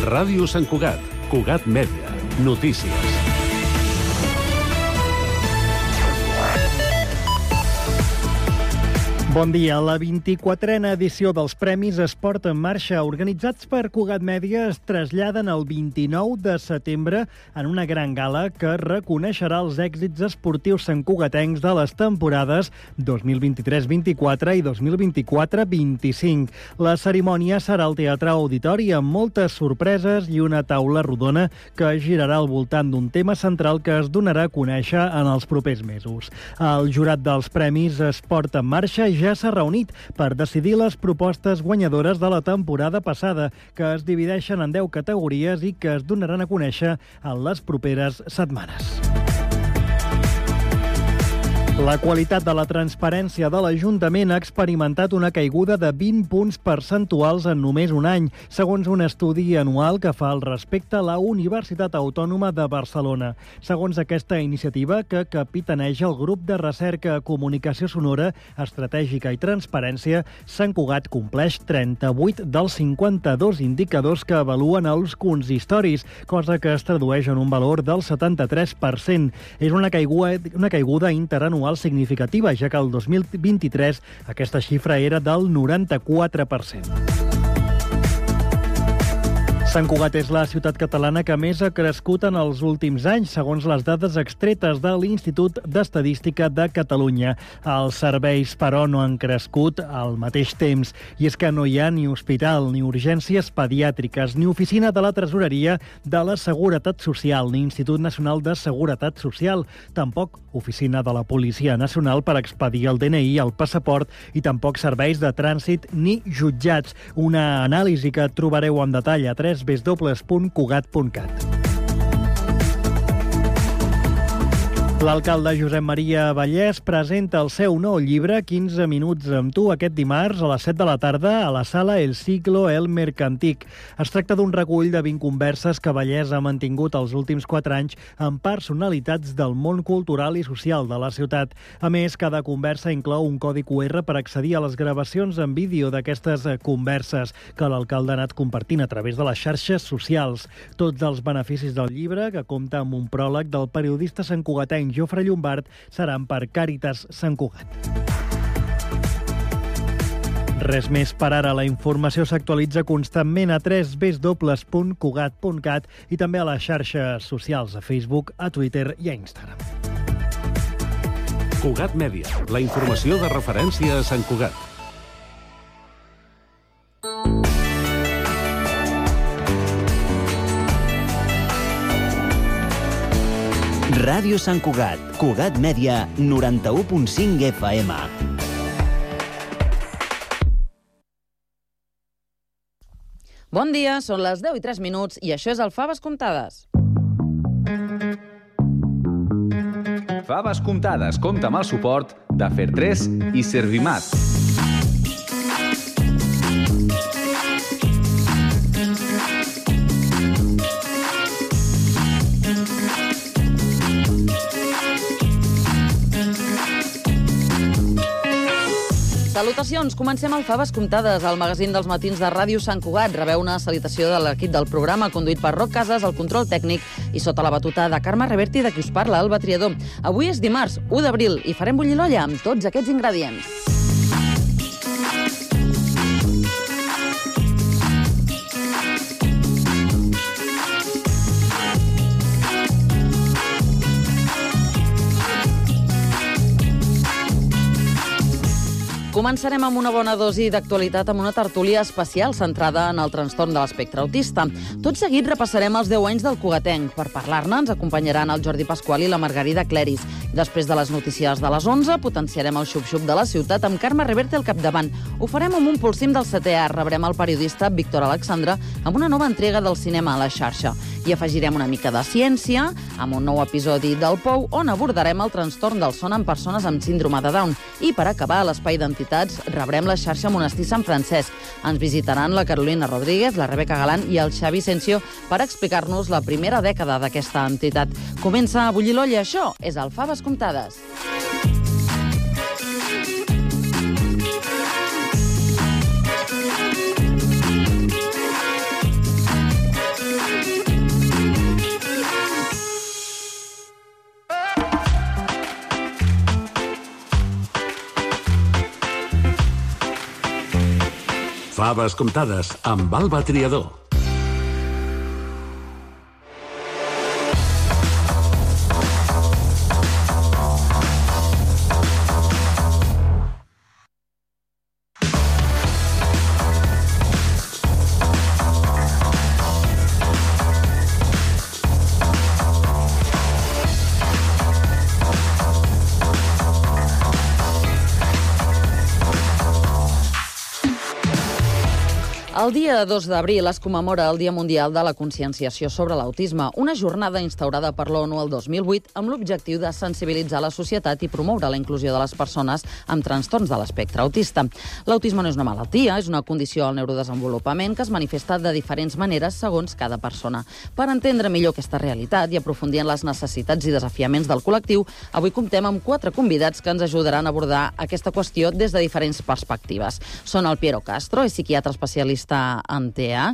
Ràdio Sant Cugat, Cugat Mèdia, notícies. Bon dia. La 24a edició dels Premis Esport en Marxa, organitzats per Cugat Mèdia, es traslladen el 29 de setembre en una gran gala que reconeixerà els èxits esportius santcugatencs de les temporades 2023-24 i 2024-25. La cerimònia serà al Teatre Auditori amb moltes sorpreses i una taula rodona que girarà al voltant d'un tema central que es donarà a conèixer en els propers mesos. El jurat dels Premis Esport en Marxa ja s'ha reunit per decidir les propostes guanyadores de la temporada passada, que es divideixen en 10 categories i que es donaran a conèixer en les properes setmanes. La qualitat de la transparència de l'Ajuntament ha experimentat una caiguda de 20 punts percentuals en només un any, segons un estudi anual que fa al respecte la Universitat Autònoma de Barcelona. Segons aquesta iniciativa, que capitaneja el grup de recerca Comunicació Sonora, Estratègica i Transparència, Sant Cugat compleix 38 dels 52 indicadors que avaluen els consistoris, cosa que es tradueix en un valor del 73%. És una caiguda interanual significativa, ja que el 2023 aquesta xifra era del 94%. Sant Cugat és la ciutat catalana que més ha crescut en els últims anys, segons les dades extretes de l'Institut d'Estadística de Catalunya. Els serveis, però, no han crescut al mateix temps, i és que no hi ha ni hospital, ni urgències pediàtriques, ni oficina de la Tresoreria de la Seguretat Social, ni Institut Nacional de Seguretat Social, tampoc oficina de la Policia Nacional per expedir el DNI, el passaport, i tampoc serveis de trànsit ni jutjats. Una anàlisi que trobareu en detall a www.cugat.cat. L'alcalde Josep Maria Vallès presenta el seu nou llibre 15 minuts amb tu aquest dimarts a les 7 de la tarda a la sala El Siglo El Mercantic. Es tracta d'un recull de 20 converses que Vallès ha mantingut els últims 4 anys amb personalitats del món cultural i social de la ciutat. A més, cada conversa inclou un codi QR per accedir a les gravacions en vídeo d'aquestes converses que l'alcalde ha anat compartint a través de les xarxes socials. Tots els beneficis del llibre, que compta amb un pròleg del periodista santcugatenc Jofre Llombart, seran per Càritas Sant Cugat. Res més per ara. La informació s'actualitza constantment a www.cugat.cat i també a les xarxes socials, a Facebook, a Twitter i a Instagram. Cugat Mèdia, la informació de referència a Sant Cugat. Ràdio Sant Cugat, Cugat Mèdia, 91.5 FM. Bon dia, són les 10:03 i això és el Faves Comptades. Faves Comptades compta amb el suport de Fer3 i Servimat. Salutacions, comencem el Faves Comptades, el magazín dels matins de Ràdio Sant Cugat. Rebeu una salutació de l'equip del programa, conduït per Roc Casas, el control tècnic, i sota la batuta de Carme Reverti, de qui us parla, Alba Triador. Avui és dimarts, 1 d'abril, i farem bullir l'olla amb tots aquests ingredients. Començarem amb una bona dosi d'actualitat amb una tertúlia especial centrada en el trastorn de l'espectre autista. Tot seguit repassarem els 10 anys del Cugatenc. Per parlar-ne ens acompanyaran el Jordi Pasqual i la Margarida Cleris. Després de les notícies de les 11, potenciarem el xup-xup de la ciutat amb Carme Reverte al capdavant. Ho farem amb un pulsim del 7è art. Rebrem el periodista Víctor Alexandre amb una nova entrega del cinema a la xarxa. I afegirem una mica de ciència amb un nou episodi del Pou, on abordarem el trastorn del son en persones amb síndrome de Down. I per acabar, a l'espai d'entitats rebrem la xarxa Monestir Sant Francesc. Ens visitaran la Carolina Rodríguez, la Rebeca Galán i el Xavi Sencio per explicar-nos la primera dècada d'aquesta entitat. Comença a bullir l'olla, això és el Faves Comptades. Faves comptades amb Alba Triador. El dia 2 d'abril es commemora el Dia Mundial de la Conscienciació sobre l'Autisme, una jornada instaurada per l'ONU el 2008 amb l'objectiu de sensibilitzar la societat i promoure la inclusió de les persones amb trastorns de l'espectre autista. L'autisme no és una malaltia, és una condició al neurodesenvolupament que es manifesta de diferents maneres segons cada persona. Per entendre millor aquesta realitat i aprofundir en les necessitats i desafiaments del col·lectiu, avui comptem amb 4 convidats que ens ajudaran a abordar aquesta qüestió des de diferents perspectives. Són el Piero Castro, és psiquiatre especialista en TEA,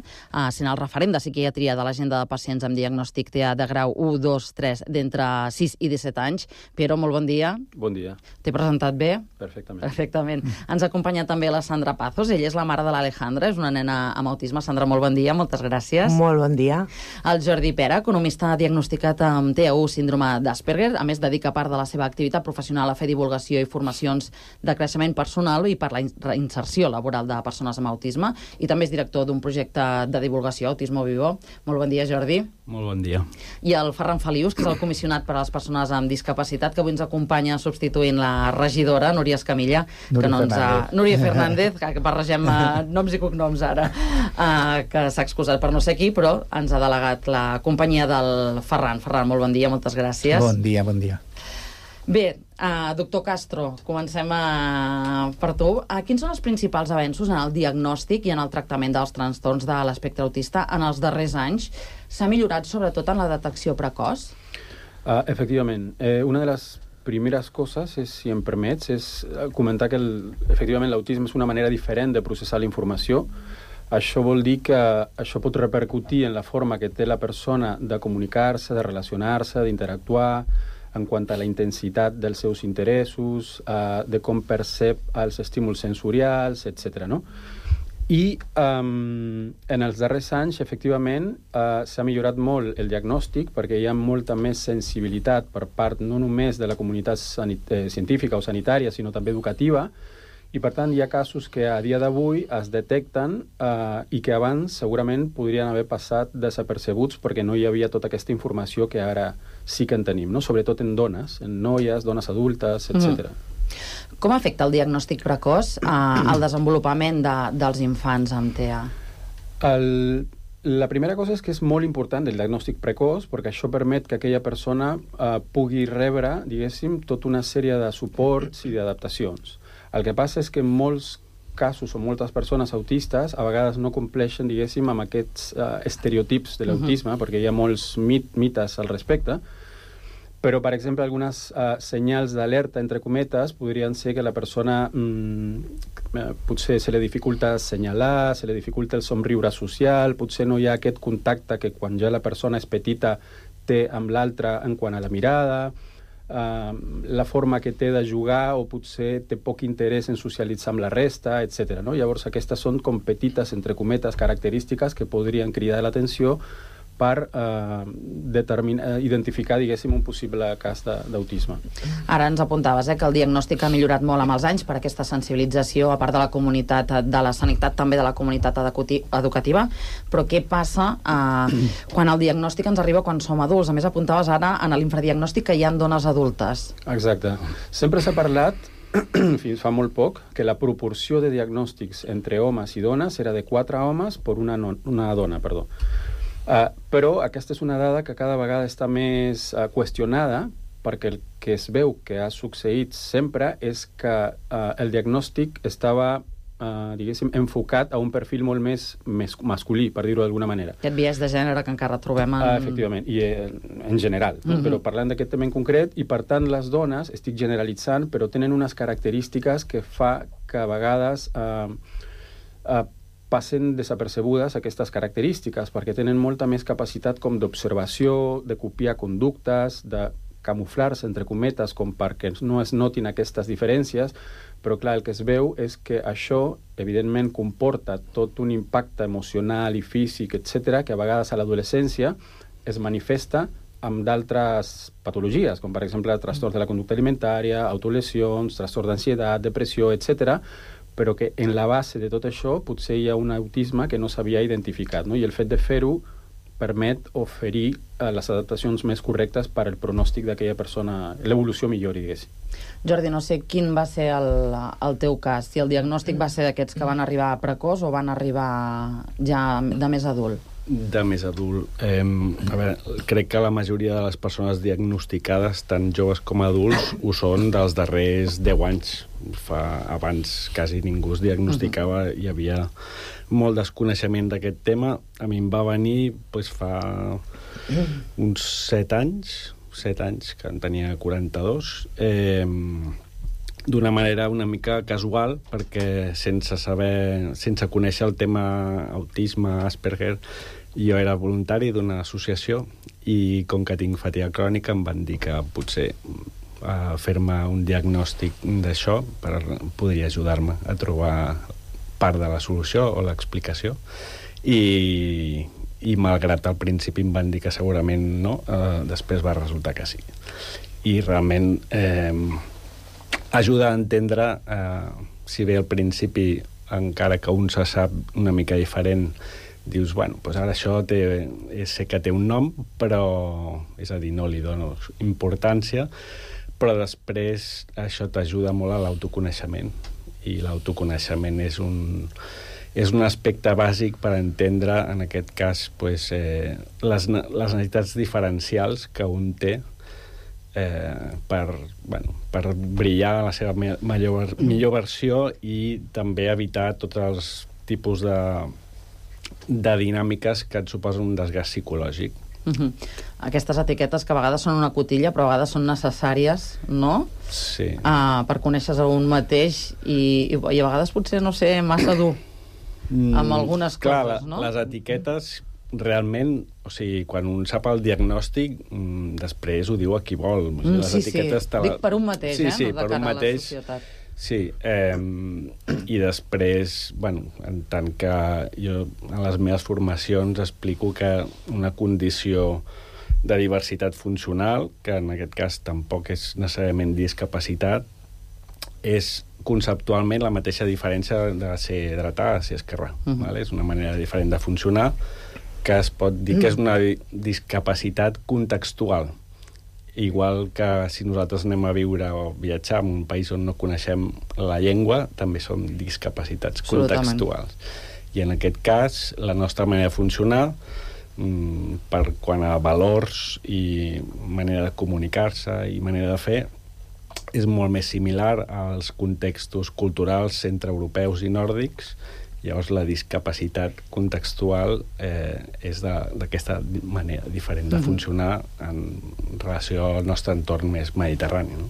sent el referent de psiquiatria de l'agenda de pacients amb diagnòstic TEA de grau 1, 2, 3 d'entre 6 i 17 anys. Piero, molt bon dia. Bon dia. T'he presentat bé? Perfectament. Perfectament. Ens acompanya també la Sandra Pazos, ella és la mare de l'Alejandra, és una nena amb autisme. Sandra, molt bon dia, moltes gràcies. Molt bon dia. El Jordi Pera, economista diagnosticat amb TEA1, síndrome d'Asperger, a més dedica part de la seva activitat professional a fer divulgació i formacions de creixement personal i per la inserció laboral de persones amb autisme, i també és director d'un projecte de divulgació, Autismo Vivo. Molt bon dia, Jordi. Molt bon dia. I el Ferran Felius, que és el comissionat per a les persones amb discapacitat, que avui ens acompanya substituint la regidora, Núria Escamilla. Núria Fernández, que barregem noms i cognoms ara, que s'ha excusat per no ser aquí, però ens ha delegat la companyia del Ferran. Ferran, molt bon dia, moltes gràcies. Bon dia, bon dia. Bé, doctor Castro, comencem per tu. Quins són els principals avenços en el diagnòstic i en el tractament dels trastorns de l'espectre autista en els darrers anys? S'ha millorat sobretot en la detecció precoç? Efectivament. Una de les primeres coses, si em permets, és comentar que efectivament l'autisme és una manera diferent de processar la informació. Això vol dir que això pot repercutir en la forma que té la persona de comunicar-se, de relacionar-se, d'interactuar, en quant a la intensitat dels seus interessos, de com percep els estímuls sensorials, etc. No? I en els darrers anys, efectivament, s'ha millorat molt el diagnòstic perquè hi ha molta més sensibilitat per part no només de la comunitat científica o sanitària, sinó també educativa, i per tant hi ha casos que a dia d'avui es detecten i que abans segurament podrien haver passat desapercebuts perquè no hi havia tota aquesta informació que ara sí que en tenim, no? Sobretot en dones, en noies, dones adultes, etc. Com afecta el diagnòstic precoç al desenvolupament dels infants amb TEA? La primera cosa és que és molt important el diagnòstic precoç perquè això permet que aquella persona pugui rebre, diguéssim, tota una sèrie de suports i d'adaptacions. El que passa és que en molts casos o moltes persones autistes a vegades no compleixen, diguéssim, amb aquests estereotips de l'autisme, perquè hi ha molts mites al respecte, però, per exemple, algunes senyals d'alerta, entre cometes, podrien ser que la persona potser se li dificulta assenyalar, se li dificulta el somriure social, potser no hi ha aquest contacte que quan ja la persona és petita té amb l'altra en quant a la mirada, la forma que té de jugar o potser té poc interès en socialitzar amb la resta, etc. No? Llavors aquestes són com petites, entre cometes, característiques que podrien cridar l'atenció per identificar, diguéssim, un possible cas d'autisme. Ara ens apuntaves que el diagnòstic ha millorat molt amb els anys per aquesta sensibilització, a part de la comunitat de la sanitat, també de la comunitat educativa, però què passa quan el diagnòstic ens arriba quan som adults? A més, apuntaves ara en l'infradiagnòstic que hi ha dones adultes. Exacte. Sempre s'ha parlat, fins fa molt poc, que la proporció de diagnòstics entre homes i dones era de 4 homes per una dona, perdó. Però aquesta és una dada que cada vegada està més qüestionada perquè el que es veu que ha succeït sempre és que el diagnòstic estava, diguéssim, enfocat a un perfil molt més masculí, per dir-ho d'alguna manera. Aquest biaix de gènere que encara trobem efectivament, i en general, però parlant d'aquest tema en concret, i per tant les dones, estic generalitzant, però tenen unes característiques que fa que a vegades passen desapercebudes aquestes característiques, perquè tenen molta més capacitat com d'observació, de copiar conductes, de camuflar-se, entre cometes, com perquè no es notin aquestes diferències, però clar, el que es veu és que això, evidentment, comporta tot un impacte emocional i físic, etc., que a vegades a l'adolescència es manifesta amb d'altres patologies, com per exemple trastorns de la conducta alimentària, autolesions, trastorns d'ansietat, depressió, etc., però que en la base de tot això potser hi ha un autisme que no s'havia identificat, no? I el fet de fer-ho permet oferir les adaptacions més correctes per al pronòstic d'aquella persona, l'evolució millori, diguéssim. Jordi, no sé quin va ser el teu cas, si el diagnòstic va ser d'aquests que van arribar precoç o van arribar ja de més adult. De més adult. A veure, crec que la majoria de les persones diagnosticades, tant joves com adults, ho són dels darrers 10 anys. Abans quasi ningú es diagnosticava, hi havia molt desconeixement d'aquest tema. A mi em va venir fa uns 7 anys, que en tenia 42, d'una manera una mica casual, perquè sense conèixer el tema autisme, Asperger, jo era voluntari d'una associació i com que tinc fatiga crònica em van dir que potser fer-me un diagnòstic d'això podria ajudar-me a trobar part de la solució o l'explicació i malgrat al principi em van dir que segurament no, després va resultar que sí. I realment ajuda a entendre, si bé al principi, encara que un se sap una mica diferent, dius, bueno, doncs ara això sé que té un nom, però, és a dir, no li dono importància, però després això t'ajuda molt a l'autoconeixement, i l'autoconeixement és un aspecte bàsic per entendre, en aquest cas, les necessitats diferencials que un té per brillar a la seva millor versió i també evitar tots els tipus de dinàmiques que et suposen un desgast psicològic. Aquestes etiquetes que a vegades són una cotilla però a vegades són necessàries, no? Sí. Per conèixer-se un mateix i a vegades potser, no sé, massa dur amb algunes coses, no? Les etiquetes realment, o sigui, quan un sap el diagnòstic, després ho diu a qui vol. Sí, dic per un mateix, sí, no de cara a la societat. Sí, i després, bueno, en tant que jo a les meves formacions explico que una condició de diversitat funcional, que en aquest cas tampoc és necessàriament discapacitat, és conceptualment la mateixa diferència de ser dretà a ser esquerrà. És una manera diferent de funcionar que es pot dir que és una discapacitat contextual. Igual que si nosaltres anem a viure o viatjar en un país on no coneixem la llengua, també som discapacitats contextuals. I en aquest cas, la nostra manera de funcionar, per quant a valors i manera de comunicar-se i manera de fer, és molt més similar als contextos culturals centreeuropeus i nòrdics. Llavors, la discapacitat contextual és d'aquesta manera diferent de funcionar en relació al nostre entorn més mediterrani. No?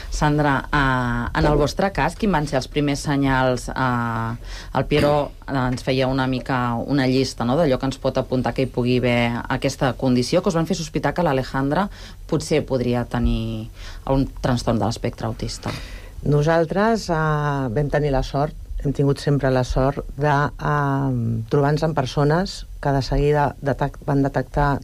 Sandra, en el vostre cas, quins van ser els primers senyals? El Piero ens feia una mica una llista, no?, d'allò que ens pot apuntar que hi pugui haver aquesta condició, que us van fer sospitar que l'Alejandra potser podria tenir un trastorn de l'espectre autista. Nosaltres vam tenir la sort, hem tingut sempre la sort de trobar-nos amb persones que de seguida van detectar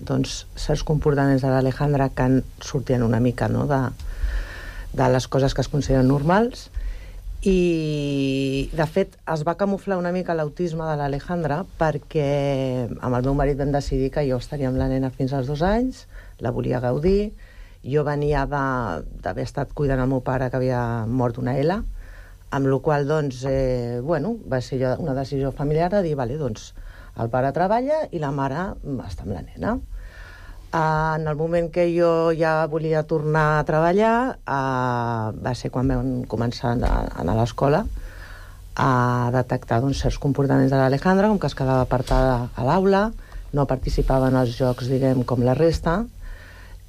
certs comportaments de l'Alejandra que sortien una mica, no?, de les coses que es consideren normals, i de fet es va camuflar una mica l'autisme de l'Alejandra perquè amb el meu marit vam decidir que jo estaria amb la nena fins als 2 anys, la volia gaudir. Jo venia d'haver estat cuidant el meu pare que havia mort una L, amb la qual cosa, va ser una decisió familiar de dir, el pare treballa i la mare està amb la nena. En el moment que jo ja volia tornar a treballar, va ser quan vam començar a anar a l'escola a detectar certs comportaments de l'Alejandra, com que es quedava apartada a l'aula, no participava en els jocs, diguem, com la resta,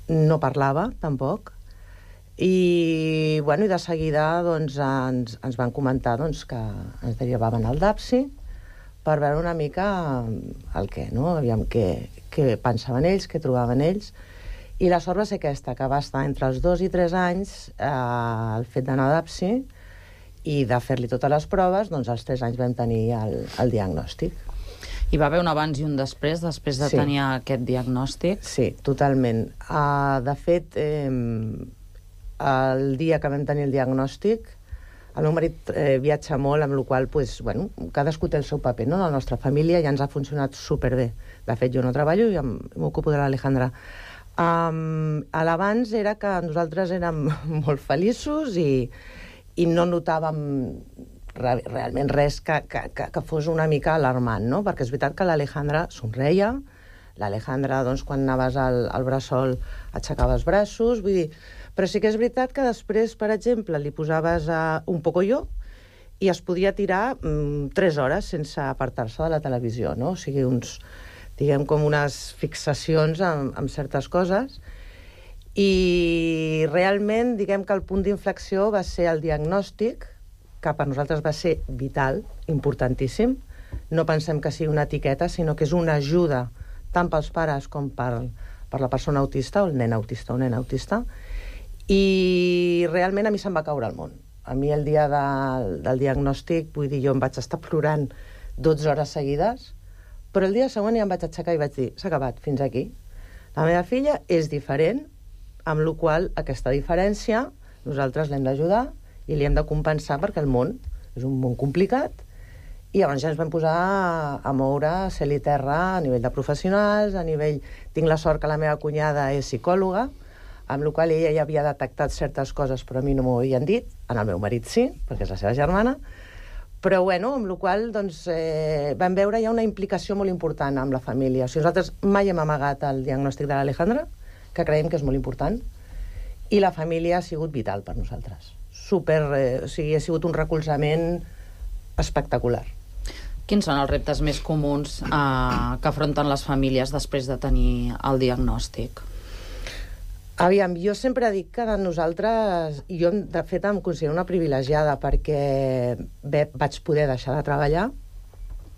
no parlava, tampoc, i de seguida ens van comentar que ens derivaven al DAPSI per veure una mica el què, no? Aviam què pensaven ells, què trobaven ells, I la sort va ser aquesta, que va estar entre els 2 i 3 anys el fet d'anar a DAPSI i de fer-li totes les proves, doncs als 3 anys vam tenir el diagnòstic. Hi va haver un abans i un després de tenir aquest diagnòstic? Sí, totalment. De fet, el dia que vam tenir el diagnòstic, el meu marit viatja molt, amb la qual cosa, cadascú té el seu paper, no? La nostra família ja ens ha funcionat superbé. De fet, jo no treballo i m'ocupo de l'Alejandra. L'abans era que nosaltres érem molt feliços i no notàvem realment res que fos una mica alarmant, no? Perquè és veritat que l'Alejandra somreia, l'Alejandra, doncs, quan anaves al bressol aixecava els braços, vull dir... Però sí que és veritat que després, per exemple, li posaves un pocoyo i es podia tirar 3 hores sense apartar-se de la televisió, no? O sigui, diguem, com unes fixacions amb certes coses. I realment, diguem que el punt d'inflexió va ser el diagnòstic, que per nosaltres va ser vital, importantíssim. No pensem que sigui una etiqueta, sinó que és una ajuda tant pels pares com per la persona autista, o el nen autista o nena autista. I realment a mi se'm va caure el món. A mi el dia del diagnòstic, vull dir, jo em vaig estar plorant 12 hores seguides, però el dia següent ja em vaig aixecar i vaig dir, s'ha acabat, fins aquí. La meva filla és diferent, amb la qual cosa aquesta diferència nosaltres l'hem d'ajudar i li hem de compensar perquè el món és un món complicat. I llavors ja ens vam posar a moure cel i terra a nivell de professionals, a nivell... Tinc la sort que la meva cunyada és psicòloga, amb la qual cosa ella ja havia detectat certes coses, però a mi no m'ho havien dit, en el meu marit sí, perquè és la seva germana, però amb la qual cosa doncs, vam veure ja una implicació molt important amb la família. O sigui, nosaltres mai hem amagat el diagnòstic de l'Alejandra, que creiem que és molt important, i la família ha sigut vital per nosaltres. O sigui, ha sigut un recolzament espectacular. Quins són els reptes més comuns que afronten les famílies després de tenir el diagnòstic? Aviam, jo sempre dic que nosaltres, jo de fet em considero una privilegiada perquè vaig poder deixar de treballar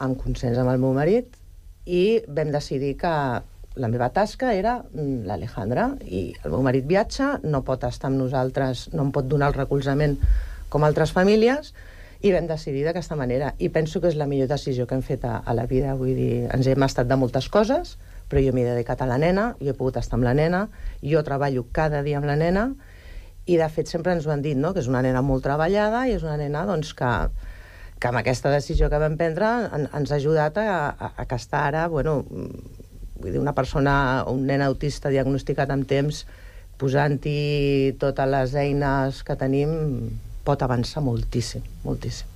amb consens amb el meu marit i vam decidir que la meva tasca era l'Alejandra i el meu marit viatja, no pot estar amb nosaltres, no em pot donar el recolzament com altres famílies i vam decidir d'aquesta manera i penso que és la millor decisió que hem fet a la vida, vull dir, ens hem estat de moltes coses però jo m'he dedicat a la nena, jo he pogut estar amb la nena, jo treballo cada dia amb la nena, i de fet sempre ens ho han dit, no?, que és una nena molt treballada i és una nena doncs, que amb aquesta decisió que vam prendre ens ha ajudat a que està ara, vull dir, una persona, un nen autista diagnosticat amb temps, posant-hi totes les eines que tenim, pot avançar moltíssim, moltíssim.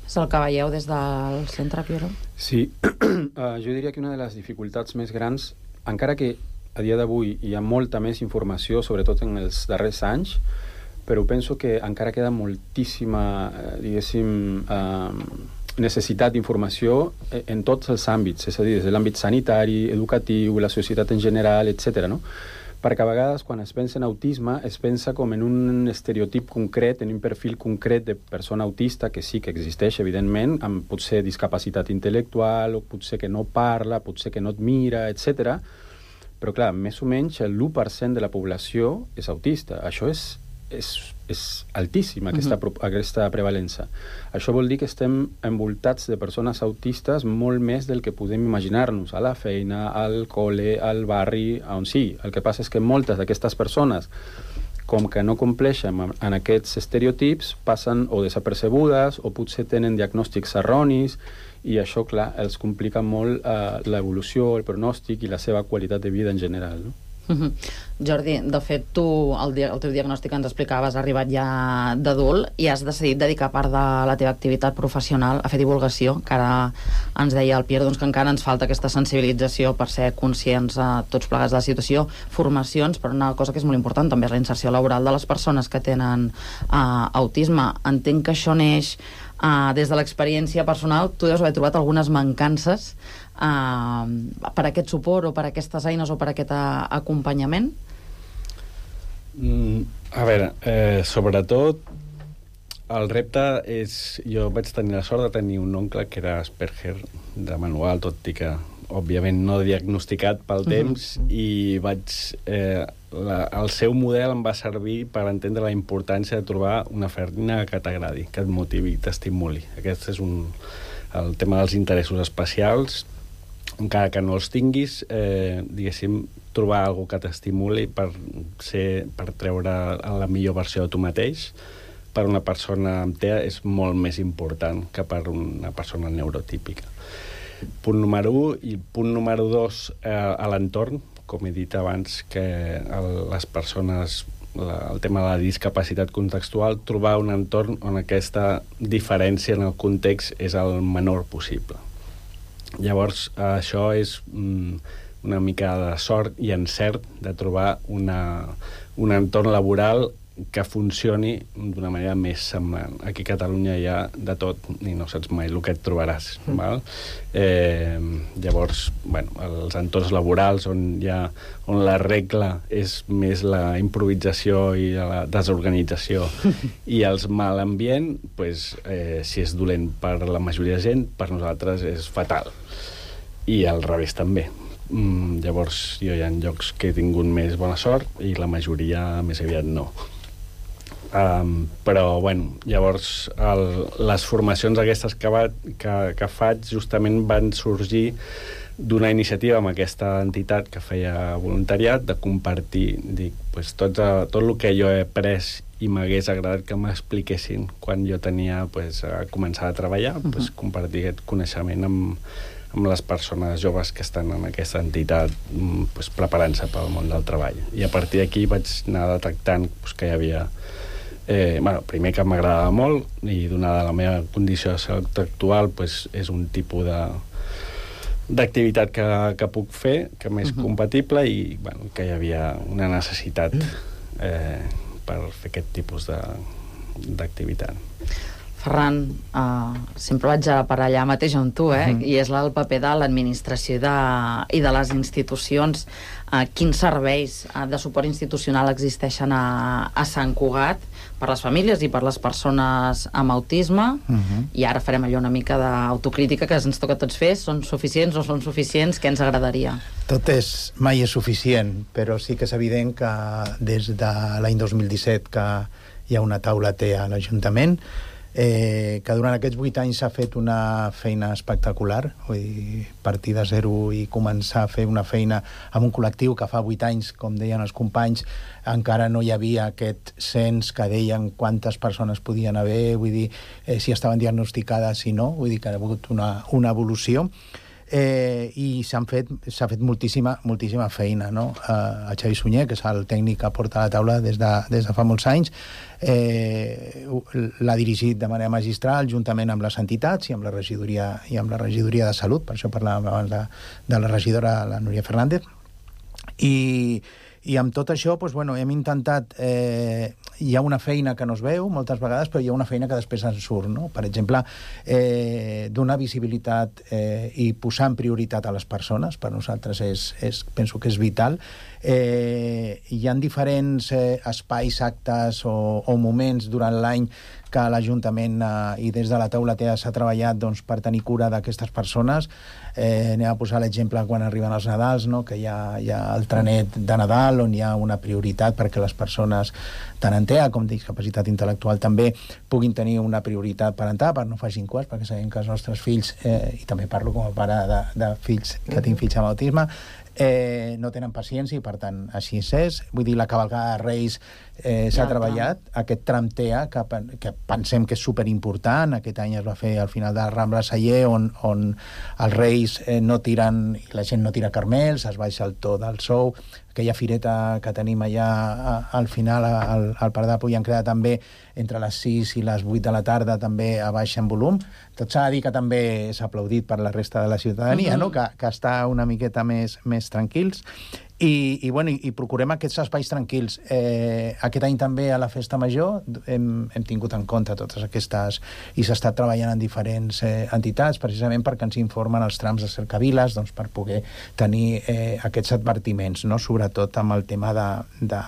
És el que veieu des del centre, Piero? Sí, jo diria que una de les dificultats més grans, encara que a dia d'avui hi ha molta més informació, sobretot en els darrers anys, però penso que encara queda moltíssima, diguéssim, necessitat d'informació en tots els àmbits, és a dir, des de l'àmbit sanitari, educatiu, la societat en general, etc. no? Perquè a vegades quan es pensa en autisme es pensa com en un estereotip concret, en un perfil concret de persona autista que sí que existeix, evidentment, amb potser discapacitat intel·lectual, o potser que no parla, potser que no et mira, etc. Però clar, més o menys el 1% de la població és autista. Això és altíssima, aquesta prevalença. Això vol dir que estem envoltats de persones autistes molt més del que podem imaginar-nos, a la feina, al col·le, al barri, on sí. El que passa és que moltes d'aquestes persones, com que no compleixen en aquests estereotips, passen o desapercebudes o potser tenen diagnòstics erronis i això, clar, els complica molt l'evolució, el pronòstic i la seva qualitat de vida en general, no? Jordi, de fet, tu el teu diagnòstic ens explicaves, has arribat ja d'adult i has decidit dedicar part de la teva activitat professional a fer divulgació, que ara ens deia el Pierre doncs, que encara ens falta aquesta sensibilització per ser conscients tots plegats de la situació, formacions, però una cosa que és molt important també és la inserció laboral de les persones que tenen autisme. Entenc que això neix des de l'experiència personal. Tu deus haver trobat algunes mancances per aquest suport o per aquestes eines o per aquest acompanyament? A veure, sobretot el repte és... Jo vaig tenir la sort de tenir un oncle que era Asperger de manual, tot i que òbviament no diagnosticat pel temps, i el seu model em va servir per entendre la importància de trobar una feina que t'agradi, que et motivi, t'estimuli. Aquest és el tema dels interessos especials. Encara que no els tinguis, diguéssim, trobar alguna que t'estimuli per treure la millor versió de tu mateix, per una persona amb TEA és molt més important que per una persona neurotípica. Punt número 1. I punt número 2, a l'entorn, com he dit abans, que les persones, el tema de la discapacitat contextual, trobar un entorn on aquesta diferència en el context és el menor possible. Llavors, això és una mica de sort i encert de trobar un entorn laboral que funcioni d'una manera més semblant. Aquí a Catalunya hi ha de tot i no saps mai el que et trobaràs. Val? Llavors, els entorns laborals on la regla és més la improvisació i la desorganització i els mal ambient, si és dolent per la majoria de gent, per nosaltres és fatal. I al revés també. Llavors, jo hi ha llocs que he tingut més bona sort i la majoria més aviat no. Però, llavors les formacions aquestes que faig justament van sorgir d'una iniciativa amb aquesta entitat que feia voluntariat, de compartir tot el que jo he après i m'hagués agradat que m'expliquessin quan jo tenia a començar a treballar, compartir aquest coneixement amb les persones joves que estan en aquesta entitat preparant-se pel món del treball. I a partir d'aquí vaig anar detectant que hi havia primer que m'agradava molt i donada la meva condició de salut actual és un tipus d'activitat que puc fer, que m'és compatible i que hi havia una necessitat per fer aquest tipus d'activitat. Ferran, sempre vaig per allà mateix on tu, i és el paper de l'administració i de les institucions. Quins serveis de suport institucional existeixen a Sant Cugat per les famílies i per les persones amb autisme? I ara farem allò una mica d'autocrítica que ens toca a tots fer. Són suficients o són suficients? Què ens agradaria? Tot mai és suficient, però sí que és evident que des de l'any 2017 que hi ha una taula TEA a l'Ajuntament, que durant aquests 8 anys s'ha fet una feina espectacular, vull dir, partir de zero i començar a fer una feina amb un col·lectiu que fa 8 anys, com deien els companys, encara no hi havia aquest cens que deien quantes persones podien haver, vull dir, si estaven diagnosticades, si no, vull dir que ha hagut una evolució. I s'ha fet moltíssima feina, no? El Xavi Sunyer, que és el tècnic que porta la taula des de fa molts anys, l'ha dirigit de manera magistral juntament amb les entitats i amb la regidoria de salut, per això parlàvem abans de la regidora, la Núria Fernández, i amb tot això hem intentat, hi ha una feina que no es veu moltes vegades, però hi ha una feina que després en surt, no? Per exemple, donar visibilitat i posar en prioritat a les persones, per nosaltres penso que és vital. Hi ha diferents espais, actes o moments durant l'any que l'Ajuntament i des de la taula TEA s'ha treballat per tenir cura d'aquestes persones. Anem a posar l'exemple quan arriben els Nadals, no? Que hi ha el trenet de Nadal on hi ha una prioritat perquè les persones tant en TEA com discapacitat intel·lectual també puguin tenir una prioritat parental, per no facin cues, perquè sabem que els nostres fills, i també parlo com a pare de fills que tinc fills amb autisme, no tenen paciència i per tant així és. Vull dir, la cavalcada de Reis s'ha treballat, aquest tram TEA que pensem que és superimportant. Aquest any es va fer al final de la Rambla Celler on els Reis no tiren, i la gent no tira carmels, es baixa el to del sou. Aquella fireta que tenim allà al final al Parc de Puig han creat també entre les 6 i les 8 de la tarda també a baix en volum. Tot s'ha de dir que també s'ha aplaudit per la resta de la ciutadania, no? Que està una miqueta més tranquils. I procurem aquests espais tranquils. Aquest any també a la Festa Major hem tingut en compte totes aquestes, i s'ha estat treballant en diferents entitats, precisament perquè ens informen els trams de cercaviles, per poder tenir aquests advertiments, no? Sobretot amb el tema de...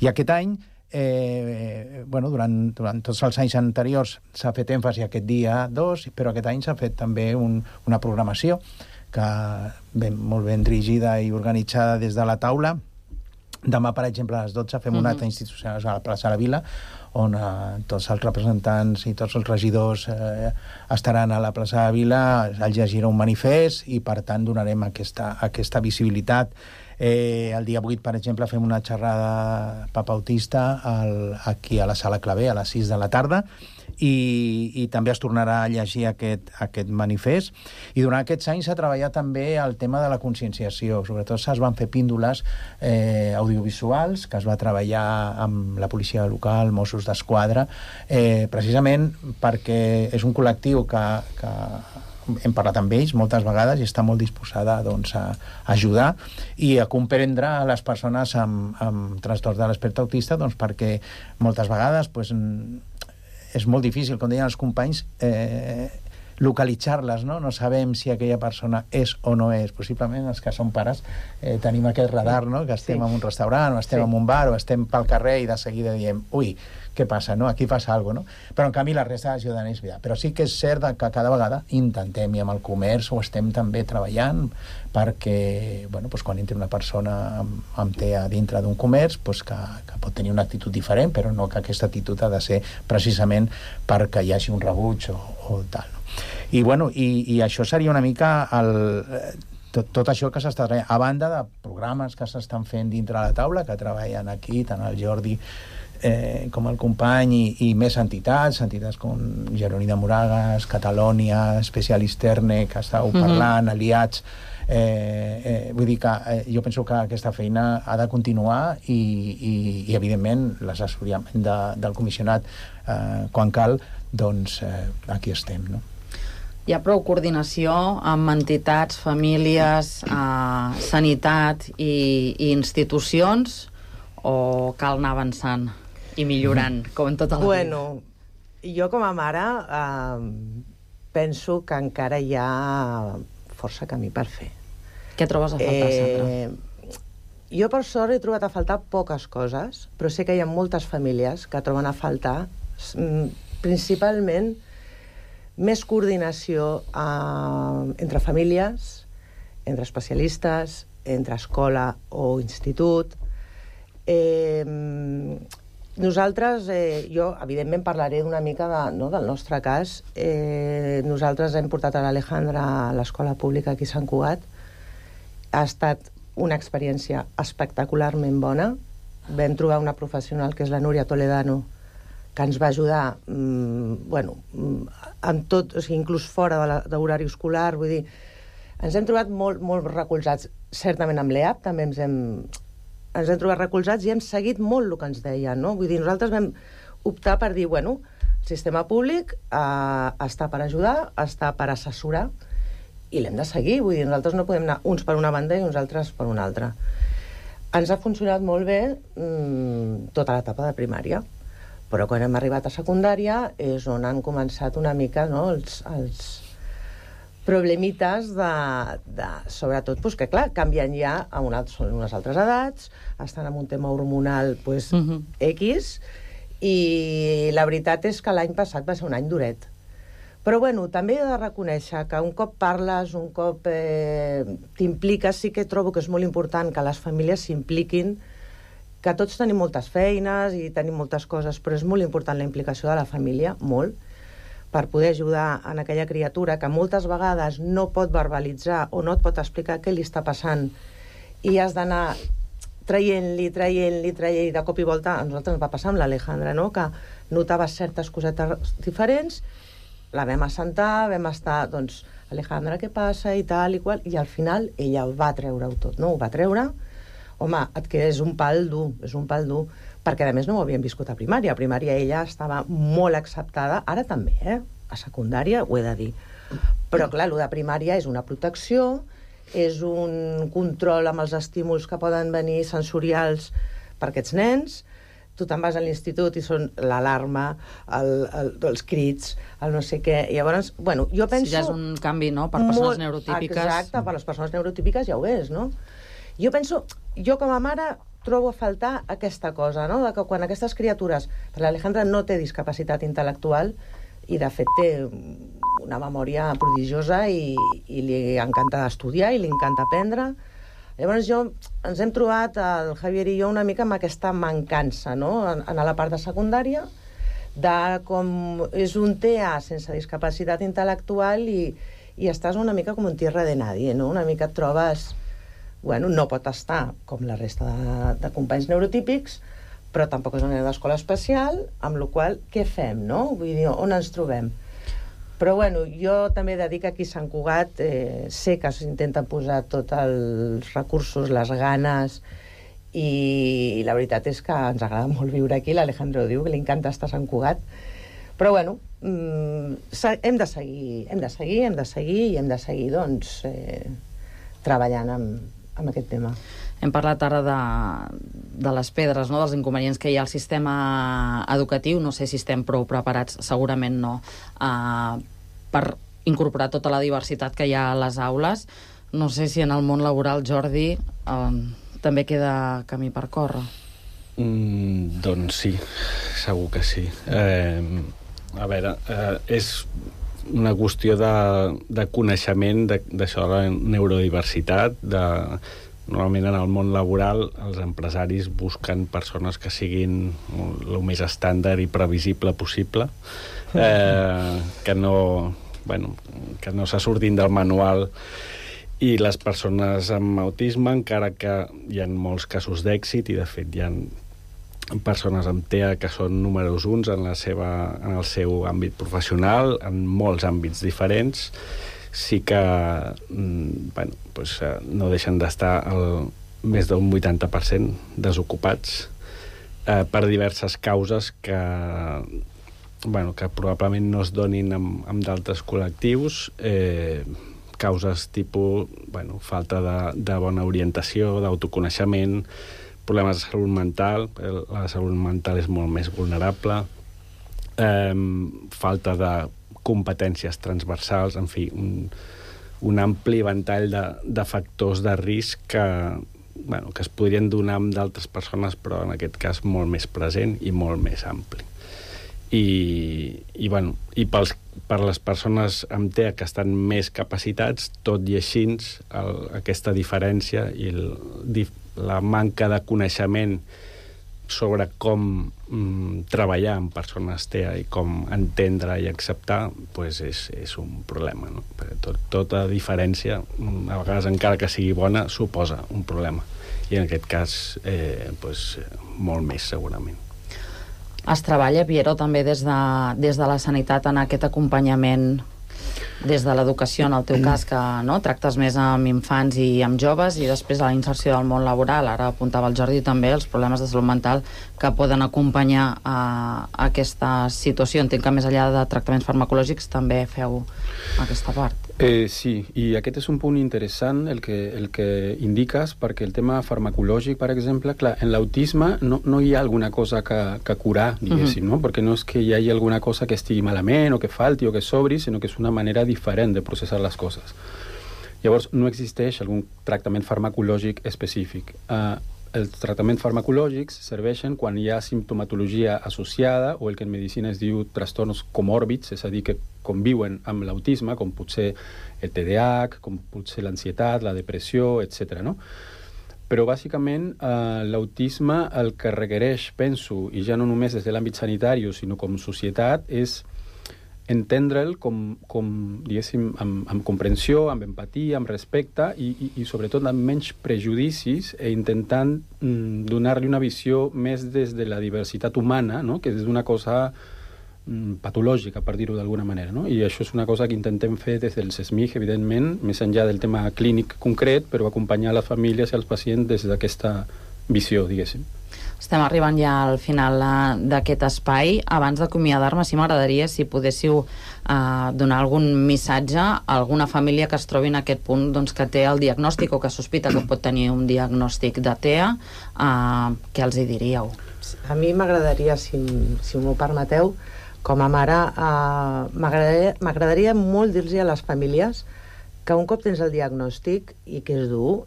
I aquest any, durant tots els anys anteriors s'ha fet èmfasi aquest dia 2, però aquest any s'ha fet també una programació molt ben dirigida i organitzada des de la taula. Demà, per exemple, a les 12 fem un acte institucional a la plaça de la Vila, on tots els representants i tots els regidors estaran a la plaça de la Vila, es llegirà un manifest i, per tant, donarem aquesta visibilitat. El dia 8, per exemple, fem una xerrada papautista aquí a la Sala Clavé a les 6 de la tarda, i també es tornarà a llegir aquest manifest. I durant aquests anys s'ha treballat també el tema de la conscienciació. Sobretot es van fer píndoles audiovisuals que es va treballar amb la policia local, Mossos d'Esquadra, precisament perquè és un col·lectiu que hem parlat amb ells moltes vegades i està molt disposada a ajudar i a comprendre les persones amb trastorn de l'espectre autista, perquè moltes vegades és molt difícil, com deien els companys, localitzar-les, no? No sabem si aquella persona és o no és. Possiblement els que som pares tenim aquest radar, no? Que estem en un restaurant o estem en un bar o estem pel carrer i de seguida diem, ui, què passa, no? Aquí passa alguna cosa, no? Però en canvi la resta de la ciutadania és veritat. Però sí que és cert que cada vegada intentem, i amb el comerç ho estem també treballant, perquè quan entra una persona amb TEA dintre d'un comerç, que pot tenir una actitud diferent, però no que aquesta actitud ha de ser precisament perquè hi hagi un rebuig o tal. I això seria una mica tot això que s'està treballant, a banda de programes que s'estan fent dintre la taula, que treballen aquí, tant el Jordi com el company i més entitats com Jeroni de Moragas, Catalònia, Specialisterne, que estàveu parlant, aliats. Vull dir que jo penso que aquesta feina ha de continuar i evidentment, l'assessorament del comissionat quan cal, doncs aquí estem, no? Hi ha prou coordinació amb entitats, famílies, sanitat i institucions, o cal anar avançant i millorant, com en tota la vida? Jo com a mare penso que encara hi ha força camí per fer. Què trobes a faltar, Sandra? Jo, per sort, he trobat a faltar poques coses, però sé que hi ha moltes famílies que troben a faltar, principalment, més coordinació entre famílies, entre especialistes, entre escola o institut. Nosaltres, jo evidentment parlaré una mica del nostre cas. Nosaltres hem portat a l'Alejandra a l'escola pública aquí a Sant Cugat. Ha estat una experiència espectacularment bona. Vam trobar una professional, que és la Núria Toledano, que ens va ajudar en tot, o sigui, inclús fora de l'horari escolar. Vull dir, ens hem trobat molt recolzats. Certament amb l'EAP també ens hem trobat recolzats i hem seguit molt el que ens deien, no? Vull dir, nosaltres vam optar per dir, el sistema públic està per ajudar, està per assessorar, i l'hem de seguir. Vull dir, nosaltres no podem anar uns per una banda i uns altres per una altra. Ens ha funcionat molt bé tota l'etapa de primària, però quan hem arribat a secundària és on han començat una mica els problemites sobretot, que clar, canvien ja són unes altres edats, estan en un tema hormonal X, i la veritat és que l'any passat va ser un any duret. Però també he de reconèixer que un cop parles, un cop t'impliques, sí que trobo que és molt important que les famílies s'impliquin, que tots tenim moltes feines i tenim moltes coses, però és molt important la implicació de la família, molt, per poder ajudar en aquella criatura que moltes vegades no pot verbalitzar o no et pot explicar què li està passant i has d'anar traient-li, de cop i volta. A nosaltres ens va passar amb l'Alejandra, no? Que notava certes cosetes diferents, la vam assentar, vam estar, Alejandra, què passa, i tal, i qual, i al final ella va treure-ho tot, no? Ho va treure. Home, et queda, és un pal dur, perquè a més no ho havíem viscut a primària. A primària ella estava molt acceptada, ara també, a secundària ho he de dir. Però clar, el de primària és una protecció, és un control amb els estímuls que poden venir sensorials per aquests nens. Tu te'n vas a l'institut i són l'alarma, els crits, el no sé què. Llavors, jo penso... Si ja és un canvi, no?, per persones neurotípiques. Exacte, per les persones neurotípiques ja ho és, no? Jo penso, jo com a mare trobo a faltar aquesta cosa, no?, de que quan aquestes criatures... Perquè l'Alejandra no té discapacitat intel·lectual i, de fet, té una memòria prodigiosa i li encanta estudiar i li encanta aprendre. Llavors ens hem trobat, el Javier i jo, una mica amb aquesta mancança, no?, en la part de secundària, de com és un TEA sense discapacitat intel·lectual i estàs una mica com un tierra de nadie, no? Una mica et trobes... Bueno, no pot estar com la resta de companys neurotípics, però tampoc és una escola especial, amb la qual cosa, què fem, no? Vull dir, on ens trobem? Però, bueno, jo també he de dir que aquí a Sant Cugat sé que s'intenta posar tots els recursos, les ganes, i la veritat és que ens agrada molt viure aquí. L'Alejandro diu que li encanta estar a Sant Cugat. Però, bueno, hem de seguir, doncs, treballant amb aquest tema. Hem parlat ara de les pedres, no?, dels inconvenients que hi ha al sistema educatiu. No sé si estem prou preparats, segurament no, per incorporar tota la diversitat que hi ha a les aules. No sé si en el món laboral, Jordi, també queda camí per córrer. Doncs sí, segur que sí. A veure, és una qüestió de coneixement d'això de la neurodiversitat. Normalment en el món laboral els empresaris busquen persones que siguin el més estàndard i previsible possible, que no se surtin del manual, i les persones amb autisme, encara que hi ha molts casos d'èxit, i de fet hi ha persones amb TEA que són números 1 en el seu àmbit professional, en molts àmbits diferents, sí que no deixen d'estar més d'un 80% desocupats per diverses causes que probablement no es donin amb d'altres col·lectius, causes tipus falta de bona orientació, d'autoconeixement, problemes de salut mental. La salut mental és molt més vulnerable, falta de competències transversals, en fi, un ampli ventall de factors de risc que es podrien donar amb d'altres persones, però en aquest cas molt més present i molt més ampli. I per les persones amb TEA que estan més capacitats, tot i així aquesta diferència i la manca de coneixement sobre com treballar amb persones TEA i com entendre i acceptar, és un problema, no? Tota diferència, a vegades encara que sigui bona, suposa un problema, i en aquest cas molt més segurament. Es treballa, Piero, també des de la sanitat en aquest acompanyament des de l'educació, en el teu cas, que tractes més amb infants i amb joves, i després a la inserció del món laboral. Ara apuntava el Jordi també els problemes de salut mental que poden acompanyar a aquesta situació. Entenc que més enllà de tractaments farmacològics també feu aquesta part. Sí, i aquest és un punt interessant el que indiques, perquè el tema farmacològic, per exemple, clar, en l'autisme no hi ha alguna cosa que curar, diguéssim, no? Perquè no és que hi hagi alguna cosa que estigui malament o que falti o que sobri, sinó que és una manera diferent de processar les coses. Llavors, no existeix algun tractament farmacològic específic. Els tractaments farmacològics serveixen quan hi ha simptomatologia associada, o el que en medicina es diu trastorns comòrbits, és a dir, que conviuen amb l'autisme, com pot ser el TDAH, com pot ser l'ansietat, la depressió, etc. No? Però, bàsicament, l'autisme el que requereix, penso, i ja no només des de l'àmbit sanitari, sinó com societat, és entendre'l com diguéssim, amb comprensió, amb empatia, amb respecte i sobretot amb menys prejudicis, intentant donar-li una visió més des de la diversitat humana, no? Que és una cosa patològica, per dir-ho d'alguna manera, no? I això és una cosa que intentem fer des del SESMIG, evidentment, més enllà del tema clínic concret, però acompanyar les famílies i els pacients des d'aquesta visió, diguéssim. Estem arribant ja al final d'aquest espai. Abans d'acomiadar-me, sí m'agradaria si podéssiu donar algun missatge a alguna família que es trobi en aquest punt, doncs, que té el diagnòstic o que sospita que pot tenir un diagnòstic de TEA. Què els hi diríeu? A mi m'agradaria, si m'ho permeteu, com a mare, m'agradaria molt dir-los a les famílies que un cop tens el diagnòstic i que és dur,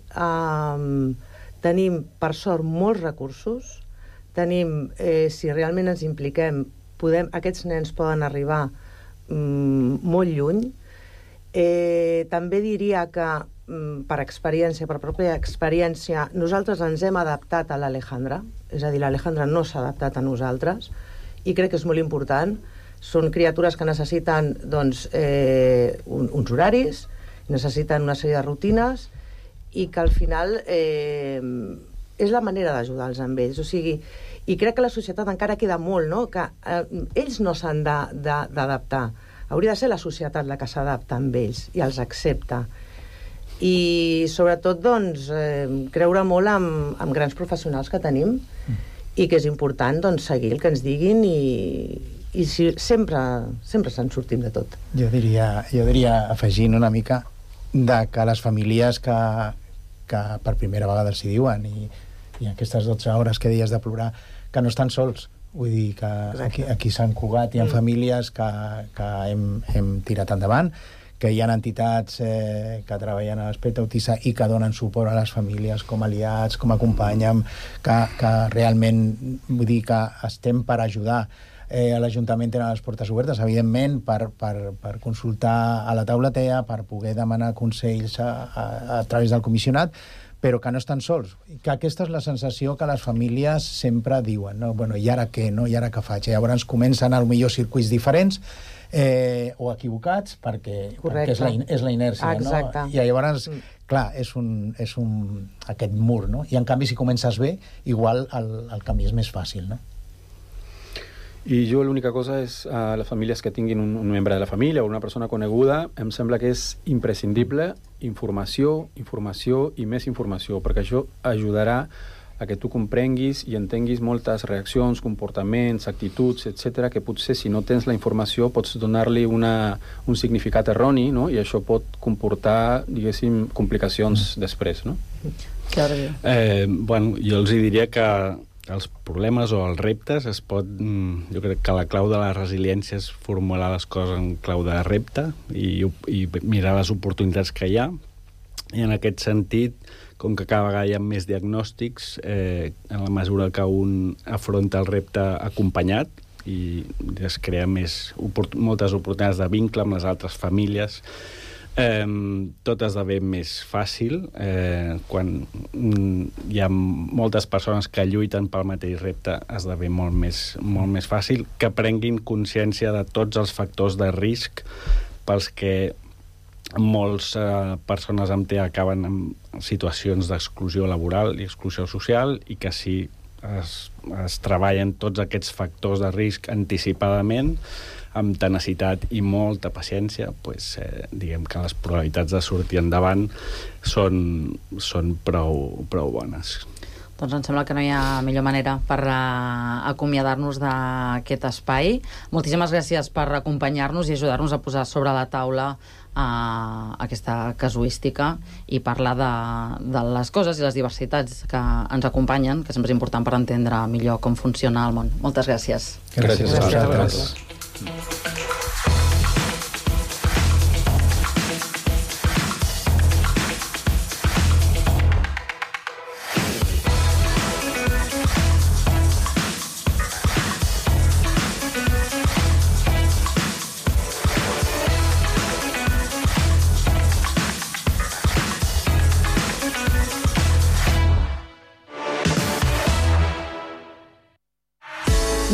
tenim, per sort, molts recursos. Tenim, si realment ens impliquem, aquests nens poden arribar molt lluny. També diria que, per pròpia experiència, nosaltres ens hem adaptat a l'Alejandra, és a dir, l'Alejandra no s'ha adaptat a nosaltres, i crec que és molt important. Són criatures que necessiten uns horaris, necessiten una sèrie de rutines, i que al final és la manera d'ajudar-los amb ells. O sigui, i crec que la societat encara queda molt, no?, que ells no s'han d'adaptar. Hauria de ser la societat la que s'adapta amb ells i els accepta. I sobretot, doncs, creure molt en grans professionals que tenim i que és important, doncs, seguir el que ens diguin i sempre se'n sortim de tot. Jo diria, afegint una mica, de que les famílies que per primera vegada s'hi diuen i aquestes 12 hores que deies de plorar, que no estan sols. Vull dir que aquí a Sant Cugat hi ha famílies que hem tirat endavant, que hi ha entitats que treballen a l'aspecte autista i que donen suport a les famílies com aliats, com acompanyen, que realment, vull dir que estem per ajudar. A l'Ajuntament tenen les portes obertes, evidentment, per consultar a la taula TEA, per poder demanar consells a través del comissionat, però que no estan sols. Que aquesta és la sensació que les famílies sempre diuen, no? Bueno, i ara què, no? I ara què faig? Llavors comencen potser circuits diferents o equivocats perquè és la inèrcia, no? I llavors, clar, és aquest mur, no? I en canvi, si comences bé, igual el camí és més fàcil, no? I jo l'única cosa és a les famílies que tinguin un membre de la família o una persona coneguda, em sembla que és imprescindible informació i més informació, perquè això ajudarà a que tu comprenguis i entenguis moltes reaccions, comportaments, actituds, etc., que potser si no tens la informació pots donar-li un significat erroni, no? I això pot comportar, diguéssim, complicacions després, no? Bueno, jo els diria que els problemes o els reptes jo crec que la clau de la resiliència és formular les coses en clau de repte i mirar les oportunitats que hi ha, i en aquest sentit, com que cada vegada hi ha més diagnòstics, en la mesura que un afronta el repte acompanyat i es crea moltes oportunitats de vincle amb les altres famílies, tot esdevé més fàcil quan hi ha moltes persones que lluiten pel mateix repte. Esdevé molt més fàcil que prenguin consciència de tots els factors de risc pels que moltes persones amb TEA acaben en situacions d'exclusió laboral i exclusió social, i que si es treballen tots aquests factors de risc anticipadament, amb tenacitat i molta paciència, diguem que les probabilitats de sortir endavant són prou bones. Doncs em sembla que no hi ha millor manera per acomiadar-nos d'aquest espai. Moltíssimes gràcies per acompanyar-nos i ajudar-nos a posar sobre la taula aquesta casuística i parlar de les coses i les diversitats que ens acompanyen, que sempre és important per entendre millor com funciona el món. Moltes gràcies. Gràcies a vosaltres.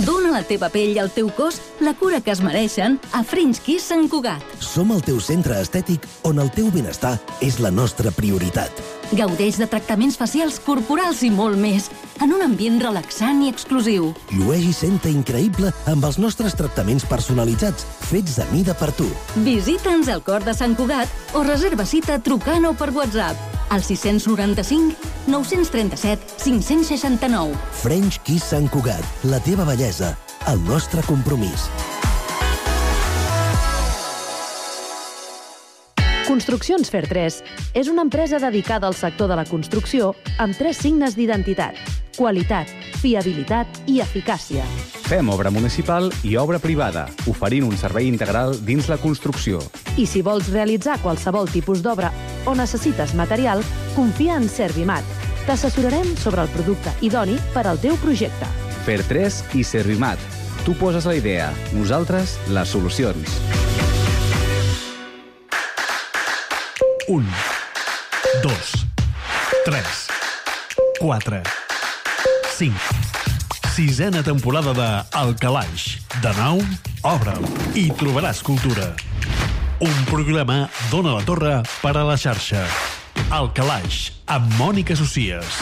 Dóna a la teva pell i al teu cos la cura que es mereixen a French Kiss Sant Cugat. Som el teu centre estètic on el teu benestar és la nostra prioritat. Gaudeix de tractaments facials, corporals i molt més, en un ambient relaxant i exclusiu. Llueix i senta increïble amb els nostres tractaments personalitzats, fets a mida per tu. Visita'ns al cor de Sant Cugat o reserva cita trucant o per WhatsApp al 695 937 569. French Kiss Sant Cugat, la teva bellesa, el nostre compromís. Construccions Fer3 és una empresa dedicada al sector de la construcció amb 3 signes d'identitat: qualitat, fiabilitat i eficàcia. Fem obra municipal i obra privada, oferint un servei integral dins la construcció. I si vols realitzar qualsevol tipus d'obra o necessites material, confia en Servimat. T'assessorarem sobre el producte idoni per al teu projecte. Fer3 i Servimat. Tu poses la idea, nosaltres les solucions. 1, 2, 3, 4, 5. 6a temporada de El Calaix. De nou, obre'l i trobaràs cultura. Un programa d'Ona la Torre per a la xarxa. El Calaix, amb Mònica Socies.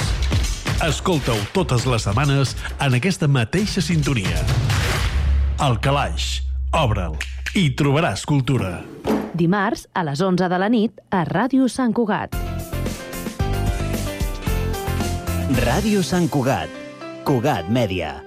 Escolta-ho totes les setmanes en aquesta mateixa sintonia. El Calaix, obre'l i trobaràs cultura. Dimarts, a les 11 de la nit, a Ràdio Sant Cugat. Ràdio Sant Cugat. Cugat Mèdia.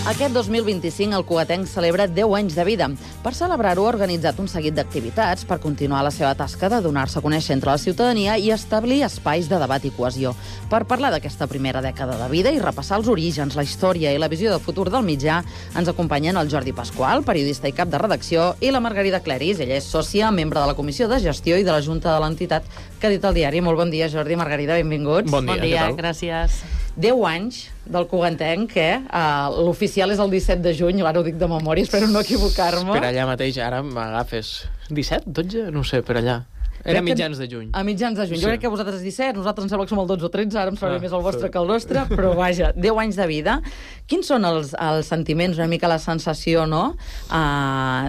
Aquest 2025 el cugatenc celebra 10 anys de vida. Per celebrar-ho ha organitzat un seguit d'activitats per continuar la seva tasca de donar-se a conèixer entre la ciutadania i establir espais de debat i cohesió. Per parlar d'aquesta primera dècada de vida i repassar els orígens, la història i la visió de futur del mitjà, ens acompanyen el Jordi Pasqual, periodista i cap de redacció, i la Margarida Cleris. Ella és sòcia, membre de la Comissió de Gestió i de la Junta de l'entitat que ha dit al diari. Molt bon dia, Jordi, Margarida, benvinguts. Bon dia, gràcies. 10 anys del cugatenc, l'oficial és el 17 de juny, ara ho dic de memòria, espero no equivocar-me. Per allà mateix, ara m'agafes 17, 12? No sé, per allà. Era mitjans de juny. A mitjans de juny. Sí. Jo crec que vosaltres 17, nosaltres em sembla que som el 12 o 13, ara em sembla més el vostre que el nostre, però vaja, 10 anys de vida. Quins són els sentiments, una mica la sensació, no?,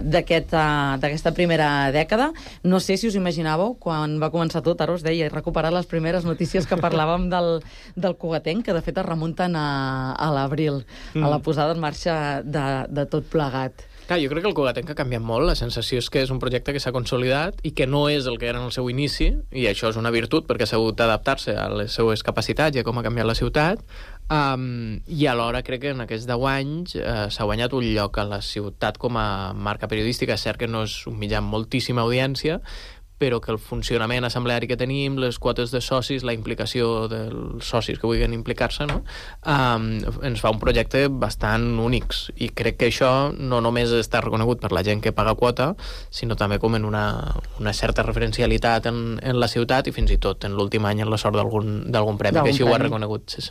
d'aquesta primera dècada? No sé si us imaginàveu, quan va començar tot, ara us deia, he recuperat les primeres notícies que parlàvem del cugatenc, que de fet es remunten a l'abril, a la posada en marxa de tot plegat. Clar, jo crec que el cugatenc ha canviat molt. La sensació és que és un projecte que s'ha consolidat i que no és el que era en el seu inici, i això és una virtut perquè s'ha hagut d'adaptar-se a les seues capacitats i a com ha canviat la ciutat, i alhora crec que en aquests 10 anys s'ha guanyat un lloc a la ciutat com a marca periodística. És cert que no és un mitjà amb moltíssima audiència, però que el funcionament assembleari que tenim, les quotes de socis, la implicació dels socis que vulguin implicar-se, no? Ens fa un projecte bastant únics, i crec que això no només està reconegut per la gent que paga quota, sinó també com en una certa referencialitat en la ciutat, i fins i tot en l'últim any en la sort d'algun premi, que així ho ha reconegut. Sí.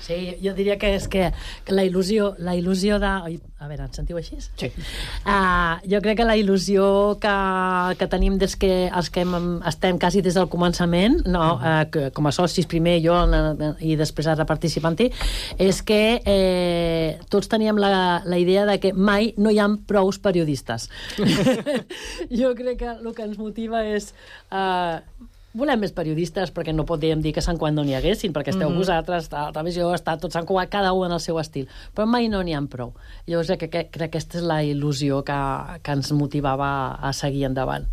Sí, jo diria que és que la il·lusió de... A veure, ens sentiu així? Sí. Jo crec que la il·lusió que tenim des que els que estem quasi des del començament, no, com a socis primer, jo, i després ara participant-hi, és que tots teníem la idea de que mai no hi ha prous periodistes. Jo crec que el que ens motiva és... volem més periodistes, perquè no podríem dir que Sant Cugat no n'hi haguessin, perquè esteu vosaltres, la televisió, està tot Sant Cugat, cada un en el seu estil, però mai no n'hi ha prou. Llavors crec que aquesta és la il·lusió que ens motivava a seguir endavant.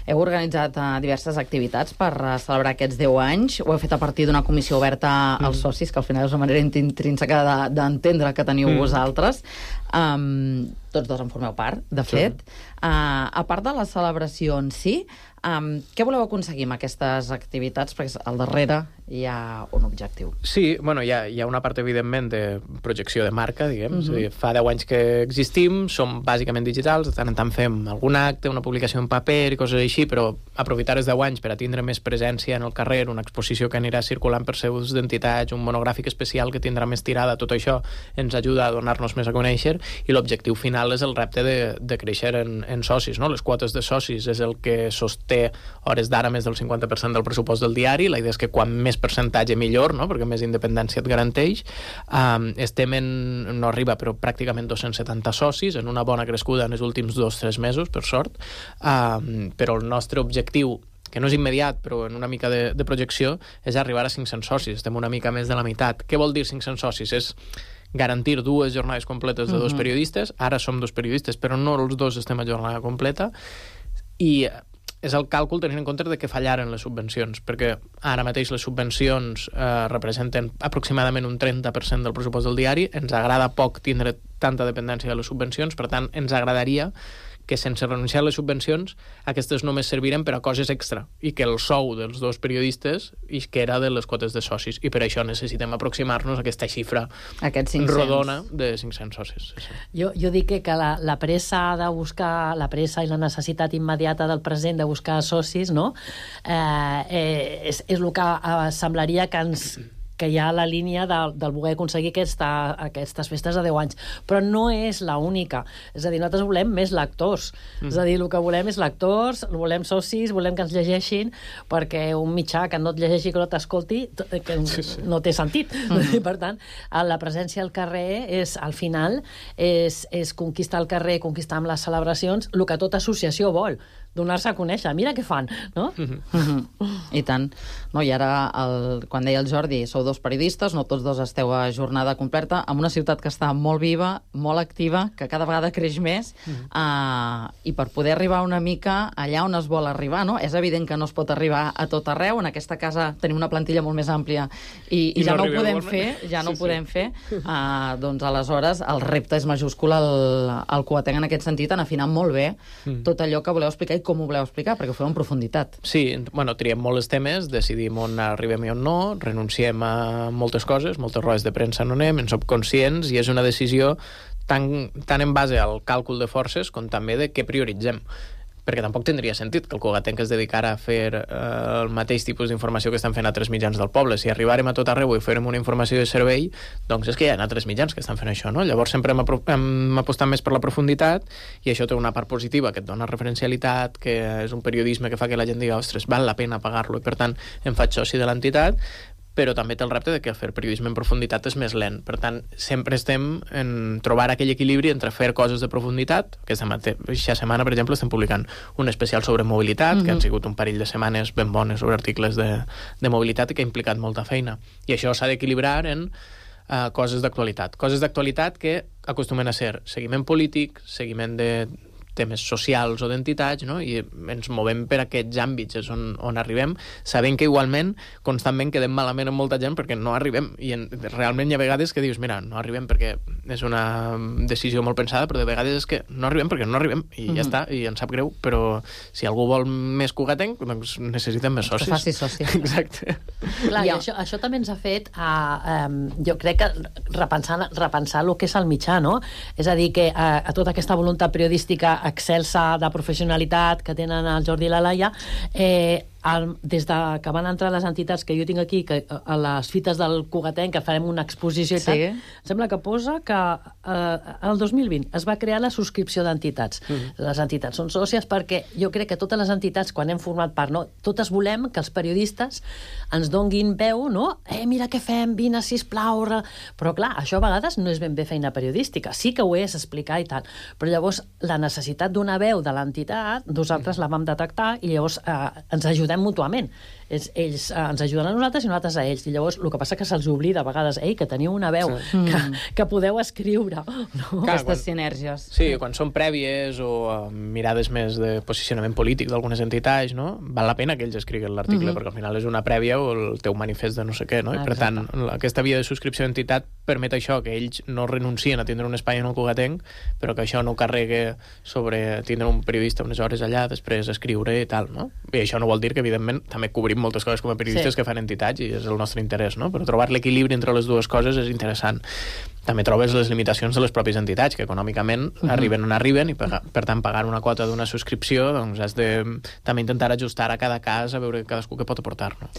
Heu organitzat diverses activitats per celebrar aquests 10 anys, ho heu fet a partir d'una comissió oberta als socis, que al final és una manera intrínseca d'entendre que teniu vosaltres. Tots dos en formeu part, de fet. A part de la celebració en si, què voleu aconseguir amb aquestes activitats? Perquè al darrere hi ha un objectiu. Sí, bueno, hi ha una part, evidentment, de projecció de marca, diguem. És a dir, fa 10 anys que existim, som bàsicament digitals, de tant en tant fem algun acte, una publicació en paper i coses així, però aprofitar els 10 anys per a tindre més presència en el carrer, una exposició que anirà circulant per seus d'entitats, un monogràfic especial que tindrà més tirada, tot això ens ajuda a donar-nos més a conèixer, i l'objectiu final és el repte de créixer en socis, no? Les quotes de socis és el que sosté hores d'ara més del 50% del pressupost del diari. La idea és que quan més percentatge millor, no? Perquè més independència et garanteix. Estem no arriba, però pràcticament 270 socis, en una bona crescuda en els últims 2-3 mesos, per sort, però el nostre objectiu, que no és immediat, però en una mica de projecció, és arribar a 500 socis. Estem una mica més de la meitat. Què vol dir 500 socis? És garantir 2 jornades completes de 2 periodistes. Ara som 2 periodistes, però no els 2 estem a jornada completa. I és el càlcul tenint en compte de que fallaren les subvencions, perquè ara mateix les subvencions representen aproximadament un 30% del pressupost del diari. Ens agrada poc tindre tanta dependència de les subvencions, per tant, ens agradaria que sense renunciar a les subvencions aquestes només serviren per a coses extra i que el sou dels dos periodistes que era de les quotes de socis i per això necessitem aproximar-nos a aquesta xifra rodona de 500 socis. Sí. Jo dic que la pressa de buscar, la pressa i la necessitat immediata del present de buscar socis, no? És el que semblaria que hi ha la línia del voler aconseguir aquestes festes de 10 anys. Però no és l'única. És a dir, nosaltres volem més lectors. És a dir, el que volem és lectors, volem socis, volem que ens llegeixin, perquè un mitjà que no et llegeixi, que no t'escolti, no té sentit. Per tant, la presència al carrer al final és conquistar el carrer, conquistar amb les celebracions, el que tota associació vol, donar-se a conèixer. Mira què fan, no? I tant. No, i ara, quan deia el Jordi, sou dos periodistes, no tots dos esteu a jornada completa, en una ciutat que està molt viva, molt activa, que cada vegada creix més, i per poder arribar una mica allà on es vol arribar, no? És evident que no es pot arribar a tot arreu. En aquesta casa tenim una plantilla molt més àmplia i ja no ho podem fer, doncs aleshores el repte és majúscul al Coatenc en aquest sentit, en afinar molt bé tot allò que voleu explicar i com ho voleu explicar, perquè ho feu en profunditat. Sí, bueno, triem molt els temes, decidim on arribem i on no, renunciem a moltes coses, moltes rodes de premsa no anem, en som conscients, i és una decisió tant en base al càlcul de forces com també de què prioritzem. Perquè tampoc tindria sentit que el Coatenc es dedicara a fer el mateix tipus d'informació que estan fent altres mitjans del poble. Si arribàrem a tot arreu i fèrem una informació de servei, doncs és que hi ha altres mitjans que estan fent això, no? Llavors sempre hem apostat més per la profunditat, i això té una part positiva, que et dona referencialitat, que és un periodisme que fa que la gent diga, ostres, val la pena pagar-lo, i per tant em faig soci de l'entitat, però també té el repte de que fer periodisme en profunditat és més lent. Per tant, sempre estem en trobar aquell equilibri entre fer coses de profunditat. Aquesta setmana, per exemple, estem publicant un especial sobre mobilitat, que han sigut un parell de setmanes ben bones sobre articles de mobilitat i que ha implicat molta feina. I això s'ha d'equilibrar en coses d'actualitat. Coses d'actualitat que acostumen a ser seguiment polític, seguiment de temes socials o d'entitats, no? I ens movem per aquests àmbits, és on arribem, sabent que igualment constantment quedem malament amb molta gent perquè no arribem, i realment hi ha vegades que dius, mira, no arribem perquè és una decisió molt pensada, però de vegades és que no arribem perquè no arribem, i ja està, i ens sap greu, però si algú vol més Cogatenc, doncs necessitem més socis. Que faci soci. Exacte. Clar, i això també ens ha fet, jo crec que repensar el que és el mitjà, no? És a dir, que a tota aquesta voluntat periodística excelsa de professionalitat que tenen el Jordi i la Laia, des de que van entrar les entitats que jo tinc aquí, que a les fites del Cogatenc, que farem una exposició i tal, em sembla que posa que el 2020 es va crear la subscripció d'entitats. Les entitats són sòcies perquè jo crec que totes les entitats, quan hem format part, no, totes volem que els periodistes ens donguin veu, no? Mira què fem, vine, sisplau. Però clar, això a vegades no és ben bé feina periodística. Sí que ho és explicar i tal, però llavors la necessitat d'una veu de l'entitat, nosaltres la vam detectar i llavors ens ajudem mútuament. Ells ens ajuden a nosaltres i nosaltres a ells. I llavors el que passa que se'ls oblida a vegades, que teniu una veu que podeu escriure. No? Aquestes sinergies. Sí, quan són prèvies o mirades més de posicionament polític d'algunes entitats, no? Val la pena que ells escriguin l'article, perquè al final és una prèvia o el teu manifest de no sé què, no? I per tant, aquesta via de subscripció d'entitat permet això, que ells no renuncien a tindre un espai en el Cogatenc, però que això no carregue sobre tindre un periodista unes hores allà, després escriure i tal, no? I això no vol dir que, evidentment, també cobrim moltes coses com a periodistes que fan entitats i és el nostre interès, no? Però trobar l'equilibri entre les dues coses és interessant. També trobes les limitacions de les pròpies entitats, que econòmicament arriben on arriben i per tant pagar una quota d'una subscripció doncs has de també intentar ajustar a cada cas a veure cadascú què pot aportar, no?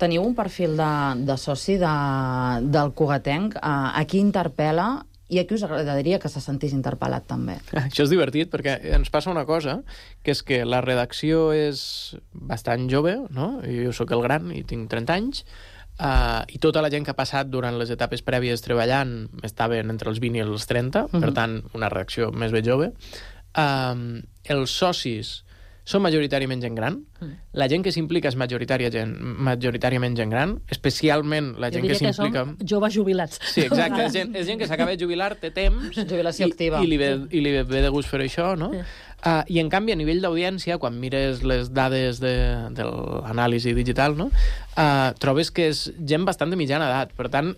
Teniu un perfil de soci del Cogatenc. A qui interpel·la i a qui us agradaria que se sentís interpel·lat també? Això és divertit perquè ens passa una cosa, que és que la redacció és bastant jove, no? Jo sóc el gran i tinc 30 anys, i tota la gent que ha passat durant les etapes prèvies treballant estaven entre els 20 i els 30, per tant, una redacció més ben jove. Els socis són majoritàriament gent gran. La gent que s'implica és majoritàriament gent gran, especialment la gent que s'implica... Jo diria que som joves jubilats. Sí, exacte, és gent que s'acaba de jubilar, té temps, jubilació activa, i li ve de gust fer això, no? I en canvi, a nivell d'audiència, quan mires les dades de l'anàlisi digital, no? Trobes que és gent bastant de mitjana edat. Per tant,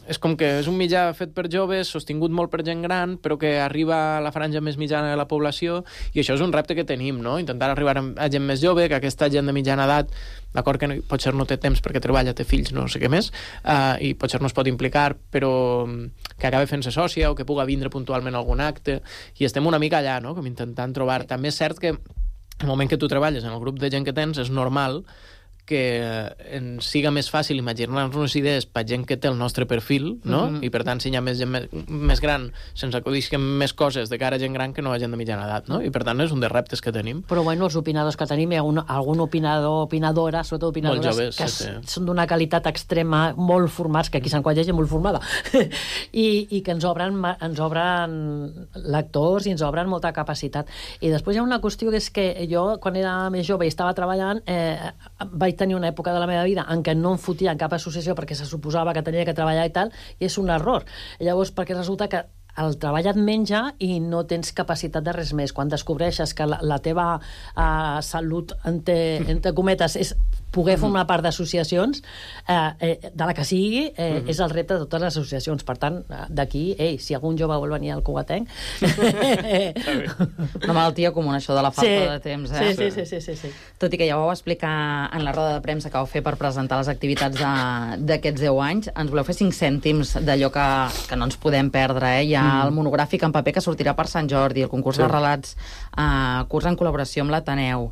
és com que és un mitjà fet per joves, sostingut molt per gent gran, però que arriba a la franja més mitjana de la població, i això és un repte que tenim, no? Intentar arribar a gent més jove, que aquesta gent de mitjana edat, d'acord que potser no té temps perquè treballa, té fills, no sé què més, i potser no es pot implicar, però que acabi fent-se sòcia o que puga vindre puntualment a algun acte, i estem una mica allà, no? Com intentant trobar. També és cert que el moment que tu treballes en el grup de gent que tens és normal que ens siga més fàcil imaginar-nos idees per gent que té el nostre perfil, no? I per tant, si hi ha més gent més gran, se'ns acudisquen més coses de cara a gent gran que no a gent de mitjana edat, no? I per tant, és un dels reptes que tenim. Però bueno, els opinadors que tenim, hi ha algun opinador, opinadora, sobretot opinadores, joves, que sí. són d'una qualitat extrema, molt formats, que aquí Sant Qual hi ha gent molt formada, i que ens obren lectors i ens obren molta capacitat. I després hi ha una qüestió que és que jo, quan era més jove i estava treballant, vaig tenir una època de la meva vida en què no em fotia en cap associació perquè se suposava que tenia que treballar i tal, i és un error. Llavors, perquè resulta que el treball et menja i no tens capacitat de res més. Quan descobreixes que la teva salut, entre cometes, és poder formar part d'associacions, de la que sigui, és el repte de totes les associacions. Per tant, d'aquí, si algun jove vol venir al Cugatenc... Una malaltia comuna, això de la falta de temps, Sí. Tot i que ja ho vau explicar en la roda de premsa que vau fer per presentar les activitats d'aquests 10 anys, ens voleu fer 5 cèntims d'allò que no ens podem perdre, Hi ha el monogràfic en paper que sortirà per Sant Jordi, el concurs de relats, curs en col·laboració amb l'Ateneu.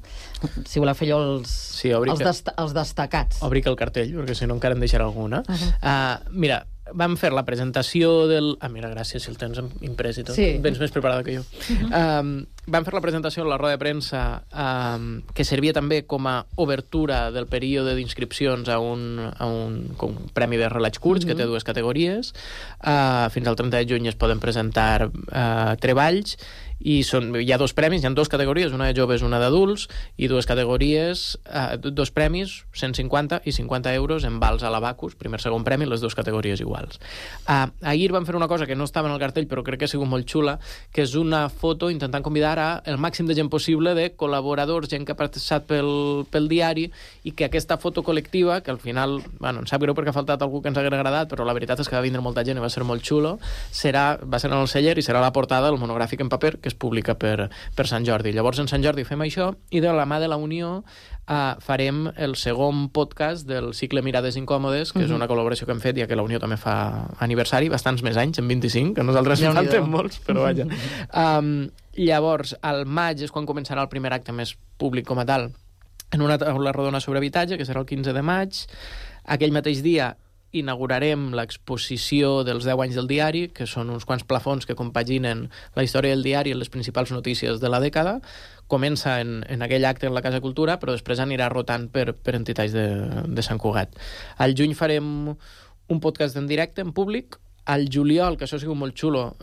Si voleu fer allò els destacats. Obric el cartell, perquè si no encara en deixarà alguna. Mira, vam fer la presentació del... mira, gràcies, si el tens imprès i tot. Sí. Vens més preparada que jo. Vam fer la presentació en la roda de premsa que servia també com a obertura del període d'inscripcions a un premi de relats curts, que té 2 categories. Fins al 30 de juny es poden presentar treballs, i hi ha 2 premis, hi ha 2 categories, una de joves, una d'adults, i 2 categories, 2 premis, 150 i 50 euros en vals a l'Abacus, primer, segon premi, les 2 categories iguals. Ahir vam fer una cosa que no estava en el cartell, però crec que ha sigut molt xula, que és una foto intentant convidar el màxim de gent possible, de col·laboradors, gent que ha participat pel diari, i que aquesta foto col·lectiva, que al final, em sap greu perquè ha faltat algú que ens hagués agradat, però la veritat és que va vindre molta gent i va ser molt xulo, va ser en el celler i serà la portada del monogràfic en paper que es publica per Sant Jordi. Llavors, en Sant Jordi fem això, i de la mà de la Unió farem el segon podcast del cicle Mirades Incòmodes, que és una col·laboració que hem fet, ja que la Unió també fa aniversari, bastants més anys, en 25, que nosaltres en falten molts, però vaja. Llavors, al maig és quan començarà el primer acte més públic com a tal, en una taula rodona sobre habitatge, que serà el 15 de maig. Aquell mateix dia inaugurarem l'exposició dels 10 anys del diari, que són uns quants plafons que compaginen la història del diari i les principals notícies de la dècada. Comença en aquell acte en la Casa Cultura, però després anirà rotant per entitats de Sant Cugat. Al juny farem un podcast en directe, en públic. Al juliol, que això ha sigut molt xulo,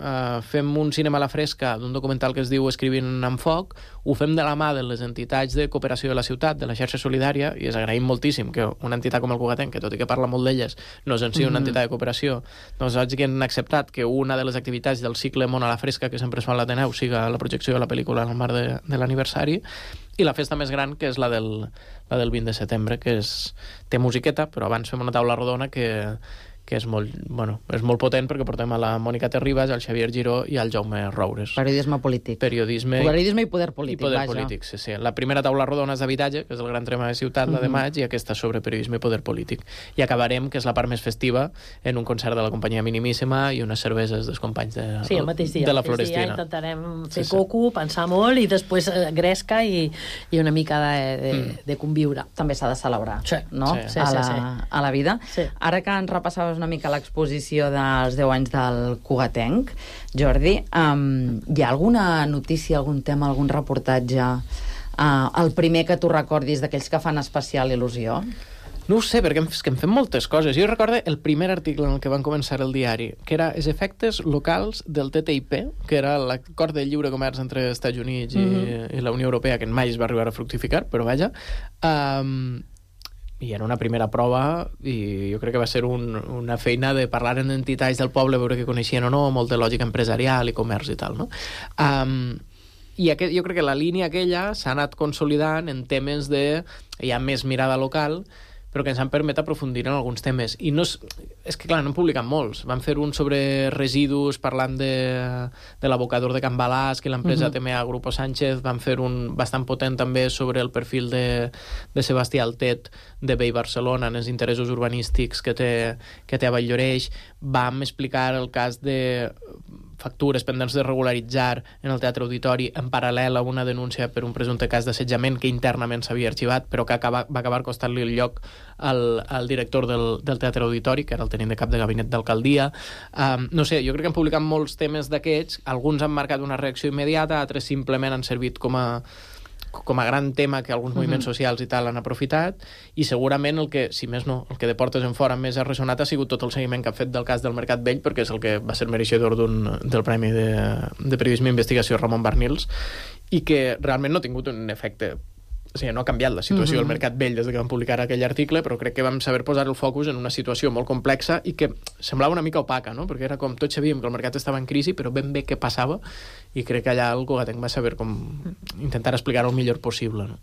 fem un cinema a la fresca d'un documental que es diu Escrivint amb foc. Ho fem de la mà de les entitats de cooperació de la ciutat, de la xarxa solidària, i es agraïm moltíssim que una entitat com el Cugatenc, que tot i que parla molt d'elles, no és en si una entitat de cooperació, doncs hagin acceptat que una de les activitats del cicle Món a la fresca, que sempre es fa a l'Ateneu, siga la projecció de la pel·lícula en el marc de l'aniversari, i la festa més gran, que és la del 20 de setembre, que té musiqueta, però abans fem una taula rodona que és molt potent, perquè portem a la Mònica Terribas, al Xavier Giró i al Jaume Roures. Periodisme polític. Periodisme i poder polític, polític, sí. La primera taula rodona és d'habitatge, que és el gran tema de ciutat, la de maig, i aquesta sobre periodisme i poder polític. I acabarem, que és la part més festiva, en un concert de la companyia Minimíssima i unes cerveses dels companys de la Florestina. Intentarem fer coco, pensar molt, i després gresca i una mica de conviure. També s'ha de celebrar, no? A la vida. Ara que ens repassaves una mica l'exposició dels 10 anys del Cugatenc, Jordi, hi ha alguna notícia, algun tema, algun reportatge, el primer que tu recordis d'aquells que fan especial il·lusió? No ho sé, perquè em fem moltes coses. Jo recordo el primer article en el que van començar el diari, que era els efectes locals del TTIP, que era l'acord de lliure comerç entre els Estats Units i la Unió Europea, que mai es va arribar a fructificar, però vaja. I era una primera prova, i jo crec que va ser una feina de parlar amb entitats del poble, veure que coneixien o no, molt de lògica empresarial i comerç i tal, no? I jo crec que la línia aquella s'ha anat consolidant en temes de... hi ha més mirada local, però que ens han permès aprofundir en alguns temes. I no és que, clar, no hem publicat molts. Vam fer un sobre residus, parlant de l'abocador de Can Balàs, que l'empresa TMA Grupo Sánchez. Vam fer un bastant potent també sobre el perfil de Sebastià Altet, de Bay Barcelona, en els interessos urbanístics que té a Vall-lloreix. Vam explicar el cas de factures pendents de regularitzar en el Teatre Auditori en paral·lel a una denúncia per un presumpte cas d'assetjament que internament s'havia arxivat, però que va acabar costant-li el lloc al director del Teatre Auditori, que era el tenint de cap de gabinet d'alcaldia. No sé, jo crec que hem publicat molts temes d'aquests, alguns han marcat una reacció immediata, altres simplement han servit com a gran tema que alguns moviments socials i tal han aprofitat, i segurament el que, si més no, el que de portes en fora més ha ressonat ha sigut tot el seguiment que ha fet del cas del Mercat Vell, perquè és el que va ser mereixedor del Premi de Periodisme i Investigació Ramon Barnils, i que realment no ha tingut un efecte. O sigui, no ha canviat la situació del Mercat Vell des que vam publicar aquell article, però crec que vam saber posar el focus en una situació molt complexa i que semblava una mica opaca, no? Perquè era com tots sabíem que el mercat estava en crisi, però ben bé què passava, i crec que allà el Cugatenc va saber com intentar explicar-ho el millor possible, no?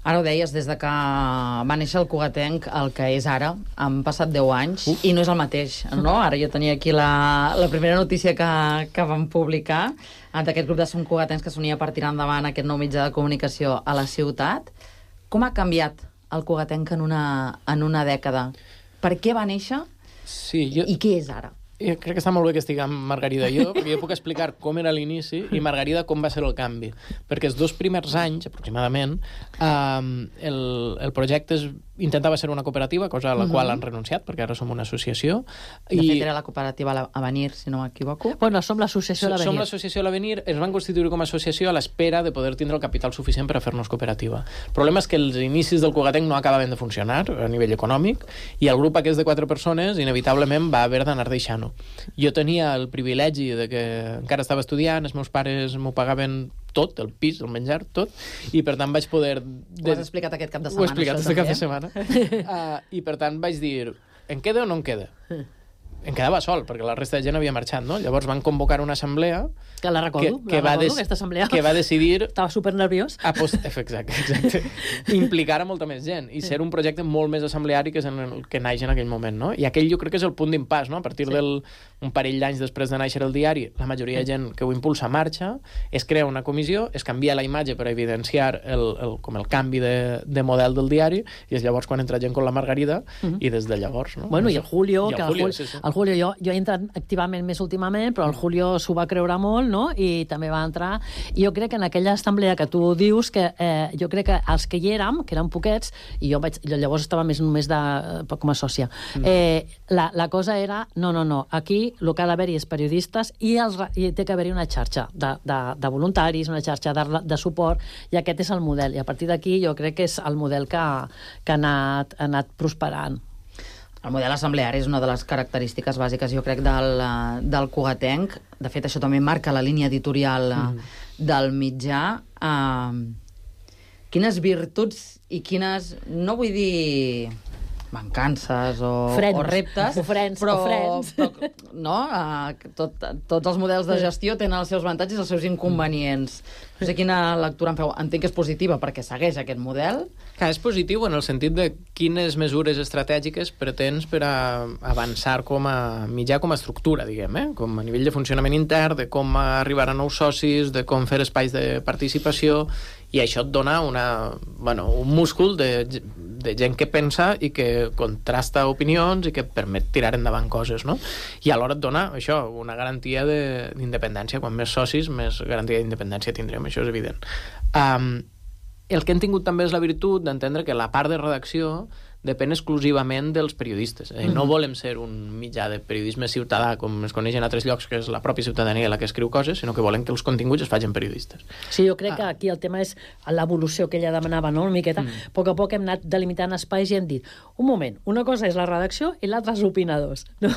Ara ho deies, des de que va néixer el Cugatenc, el que és ara, han passat 10 anys, i no és el mateix, no? Ara jo tenia aquí la primera notícia que vam publicar, d'aquest grup de Sant Cugatencs que s'unia per tirar endavant aquest nou mitjà de comunicació a la ciutat. Com ha canviat el Cugatenc en una dècada? Per què va néixer i què és ara? Jo crec que està molt bé que estiguem Margarida i jo, perquè jo puc explicar com era l'inici i Margarida com va ser el canvi. Perquè els 2 primers anys, aproximadament, el projecte intentava ser una cooperativa, cosa a la qual han renunciat, perquè ara som una associació. De fet, era la cooperativa Avenir, si no m'equivoco. Bueno, som l'associació L'Avenir. Som l'associació L'Avenir, ens van constituir com a associació a l'espera de poder tindre el capital suficient per a fer-nos cooperativa. El problema és que els inicis del Cugatenc no acabaven de funcionar a nivell econòmic i el grup aquest de 4 persones inevitablement va haver d'anar deixant-ho. Jo tenia el privilegi de que encara estava estudiant, els meus pares m'ho pagaven tot, el pis, el menjar, tot, i per tant vaig poder... Ho has explicat aquest cap de setmana. Ho he explicat aquest cap de setmana. I per tant vaig dir, en queda o no en queda? Em quedava sol, perquè la resta de gent havia marxat, no? Llavors van convocar una assemblea... Que la recordo, aquesta assemblea. Que va decidir... Estava supernerviós. Exacte. Implicar a molta més gent i ser un projecte molt més assembleari que és el que naix en aquell moment, no? I aquell jo crec que és el punt d'impàs, no? A partir un parell d'anys després de néixer el diari, la majoria de gent que ho impulsa marxa, es crea una comissió, es canvia la imatge per evidenciar com el canvi de model del diari, i és llavors quan entra gent com la Margarida, i des de llavors, no? Bueno, i el Julio, sí. El Julio, jo he entrat activament més últimament, però el Julio s'ho va creure molt, no? I també va entrar. I jo crec que en aquella assemblea que tu dius, que jo crec que els que hi érem, que eren poquets, i jo llavors estava només com a sòcia, la cosa era, no, aquí el que ha d'haver-hi és periodistes i té que haver-hi una xarxa de voluntaris, una xarxa de suport, i aquest és el model. I a partir d'aquí jo crec que és el model que ha anat prosperant. El model assembleari és una de les característiques bàsiques, jo crec, del Cugatenc. De fet, això també marca la línia editorial del mitjà. Quines virtuts i quines, no vull dir mancances o reptes, però no? Tots els models de gestió tenen els seus avantatges i els seus inconvenients. No sé quina lectura en feu. Entenc que és positiva perquè segueix aquest model. Que és positiu en el sentit de quines mesures estratègiques pretens per a avançar com a mitjà, com a estructura, diguem, com a nivell de funcionament intern, de com arribar a nous socis, de com fer espais de participació, i això et dona un múscul de gent que pensa i que contrasta opinions i que permet tirar endavant coses, no? I alhora et dona això, una garantia d'independència. Quan més socis, més garantia d'independència tindrem, això és evident. El que hem tingut també és la virtut d'entendre que la part de redacció depèn exclusivament dels periodistes. No volem ser un mitjà de periodisme ciutadà, com es coneix en altres llocs, que és la pròpia ciutadania la que escriu coses, sinó que volem que els continguts es facin periodistes. Sí, jo crec que aquí el tema és l'evolució que ella demanava, no? Una miqueta. A poc a poc hem anat delimitant espais i hem dit, un moment, una cosa és la redacció i l'altra els opinadors, no?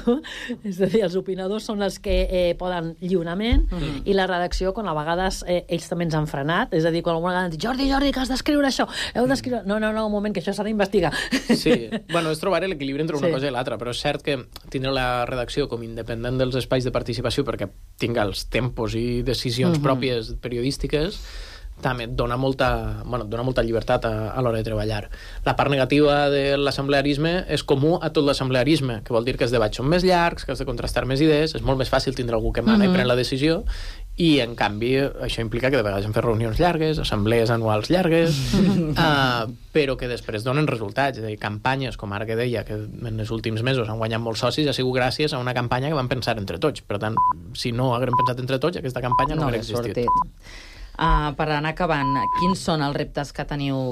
És a dir, els opinadors són els que poden lliurament i la redacció, quan a vegades ells també ens han frenat, és a dir, quan alguna vegada han dit, Jordi, que has d'escriure això, heu d'escriure... No, un moment, que això s'ha d'investigar. Sí, bueno, és trobar l'equilibri entre una cosa i l'altra, però és cert que tindre la redacció com independent dels espais de participació perquè tinga els tempos i decisions pròpies periodístiques també et dona molta llibertat a l'hora de treballar. La part negativa de l'assemblearisme és comú a tot l'assemblearisme, que vol dir que els debats són més llargs, que has de contrastar més idees, és molt més fàcil tindre algú que mana i pren la decisió, i en canvi això implica que de vegades hem fet reunions llargues, assemblees anuals llargues, però que després donen resultats. És a dir, campanyes, com ara que deia, que en els últims mesos han guanyat molts socis, ha sigut gràcies a una campanya que vam pensar entre tots. Per tant, si no haguem pensat entre tots, aquesta campanya no hauria existit. Per anar acabant, quins són els reptes que teniu